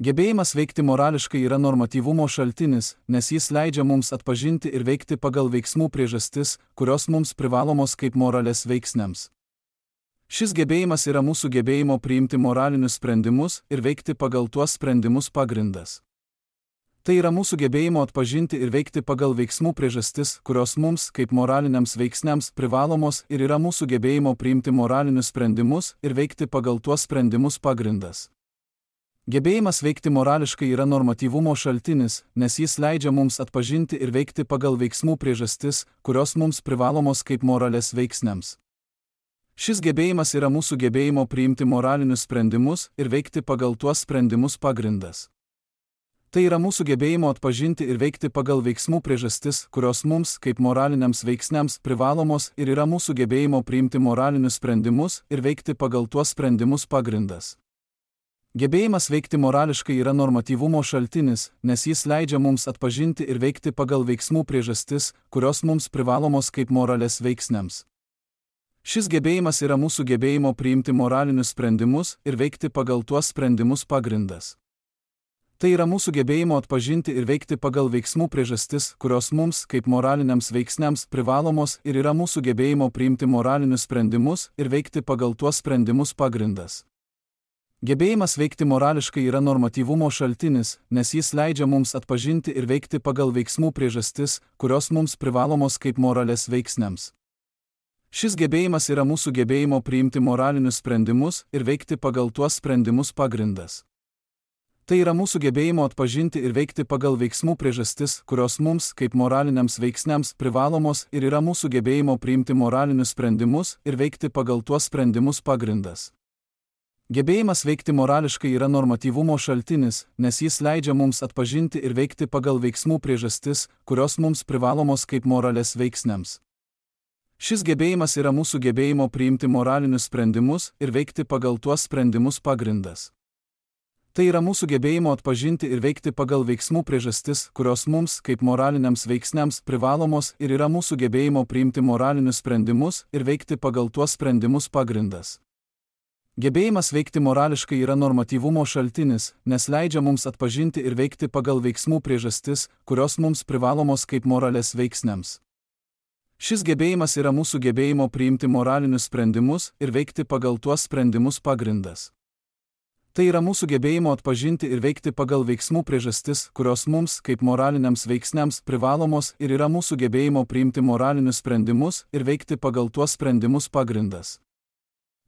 Gebėjimas veikti morališkai yra normatyvumo šaltinis, nes jis leidžia mums atpažinti ir veikti pagal veiksmų priežastis, kurios mums privalomos kaip moralės veiksniams. Šis gebėjimas yra mūsų gebėjimo priimti moralinius sprendimus ir veikti pagal tuos sprendimus pagrindas. Tai yra mūsų gebėjimo atpažinti ir veikti pagal veiksmų priežastis, kurios mums, kaip moraliniams veiksniams, privalomos ir yra mūsų gebėjimo priimti moralinius sprendimus ir veikti pagal tuos sprendimus pagrindas. Gebėjimas veikti morališkai yra normatyvumo šaltinis, nes jis leidžia mums atpažinti ir veikti pagal veiksmų priežastis, kurios mums privalomos kaip moralės veiksniams. Šis gebėjimas yra mūsų gebėjimo priimti moralinius sprendimus ir veikti pagal tuos sprendimus pagrindas. Tai yra mūsų gebėjimo atpažinti ir veikti pagal veiksmų priežastis, kurios mums, kaip moraliniams veiksniams, privalomos ir yra mūsų gebėjimo priimti moralinius sprendimus ir veikti pagal tuos sprendimus pagrindas. Gebėjimas veikti morališkai yra normatyvumo šaltinis, nes jis leidžia mums atpažinti ir veikti pagal veiksmų priežastis, kurios mums privalomos kaip moralės veiksniams. Šis gebėjimas yra mūsų gebėjimo priimti moralinius sprendimus ir veikti pagal tuos sprendimus pagrindas. Tai yra mūsų gebėjimo atpažinti ir veikti pagal veiksmų priežastis, kurios mums, kaip moraliniams veiksniams, privalomos ir yra mūsų gebėjimo priimti moralinius sprendimus ir veikti pagal tuos sprendimus pagrindas. Gebėjimas veikti morališkai yra normatyvumo šaltinis, nes jis leidžia mums atpažinti ir veikti pagal veiksmų priežastis, kurios mums privalomos kaip moralės veiksniams. Šis gebėjimas yra mūsų gebėjimo priimti moralinius sprendimus ir veikti pagal tuos sprendimus pagrindas. Tai yra mūsų gebėjimo atpažinti ir veikti pagal veiksmų priežastis, kurios mums, kaip moraliniams veiksniams, privalomos ir yra mūsų gebėjimo priimti moralinius sprendimus ir veikti pagal tuos sprendimus pagrindas. Gebėjimas veikti morališkai yra normatyvumo šaltinis, nes jis leidžia mums atpažinti ir veikti pagal veiksmų priežastis, kurios mums privalomos kaip moralės veiksniams. Šis gebėjimas yra mūsų gebėjimo priimti moralinius sprendimus ir veikti pagal tuos sprendimus pagrindas. Tai yra mūsų gebėjimo atpažinti ir veikti pagal veiksmų priežastis, kurios mums, kaip moraliniams veiksniams, privalomos ir yra mūsų gebėjimo priimti moralinius sprendimus ir veikti pagal tuos sprendimus pagrindas. Gebėjimas veikti morališkai yra normatyvumo šaltinis, nes leidžia mums atpažinti ir veikti pagal veiksmų priežastis, kurios mums privalomos kaip moralės veiksniams. Šis gebėjimas yra mūsų gebėjimo priimti moralinius sprendimus ir veikti pagal tuos sprendimus pagrindas. Tai yra mūsų gebėjimo atpažinti ir veikti pagal veiksmų priežastis, kurios mums, kaip moraliniams veiksniams, privalomos ir yra mūsų gebėjimo priimti moralinius sprendimus ir veikti pagal tuos sprendimus pagrindas.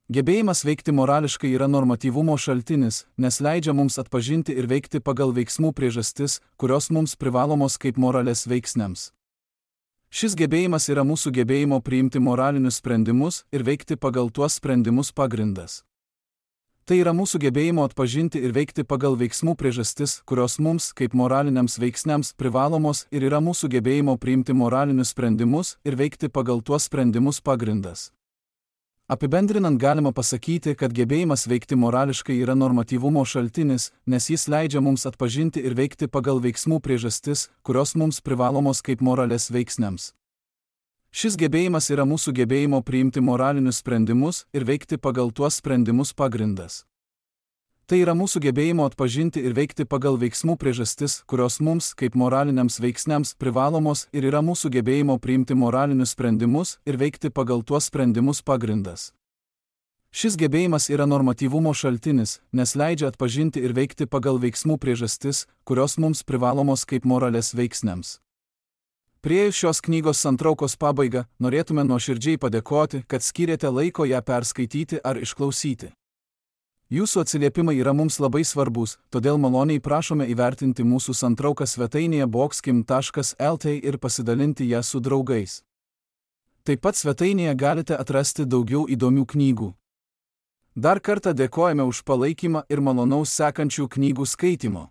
Gebėjimas veikti morališkai yra normatyvumo šaltinis, nes leidžia mums atpažinti ir veikti pagal veiksmų priežastis, kurios mums privalomos kaip moralės veiksniams. Šis gebėjimas yra mūsų gebėjimo priimti moralinius sprendimus ir veikti pagal tuos sprendimus pagrindas. Tai yra mūsų gebėjimo atpažinti ir veikti pagal veiksmų priežastis, kurios mums, kaip moraliniams veiksniams, privalomos ir yra mūsų gebėjimo priimti moralinius sprendimus ir veikti pagal tuos sprendimus pagrindas. Apibendrinant galima pasakyti, kad gebėjimas veikti morališkai yra normatyvumo šaltinis, nes jis leidžia mums atpažinti ir veikti pagal veiksmų priežastis, kurios mums privalomos kaip moralės veiksniams. Šis gebėjimas yra mūsų gebėjimo priimti moralinius sprendimus ir veikti pagal tuos sprendimus pagrindas. Tai yra mūsų gebėjimo atpažinti ir veikti pagal veiksmų priežastis, kurios mums, kaip moraliniams veiksniams, privalomos ir yra mūsų gebėjimo priimti moralinius sprendimus ir veikti pagal tuos sprendimus pagrindas. Šis gebėjimas yra normatyvumo šaltinis, nes leidžia atpažinti ir veikti pagal veiksmų priežastis, kurios mums privalomos kaip moralės veiksniams. Priėjus šios knygos santraukos pabaigą, norėtume nuoširdžiai padėkoti, kad skyrėte laiko ją perskaityti ar išklausyti. Jūsų atsiliepimai yra mums labai svarbus, todėl maloniai prašome įvertinti mūsų santrauką svetainėje bokskim taškas el tė ir pasidalinti ją su draugais. Taip pat svetainėje galite atrasti daugiau įdomių knygų. Dar kartą dėkojame už palaikymą ir malonaus sekančių knygų skaitimo.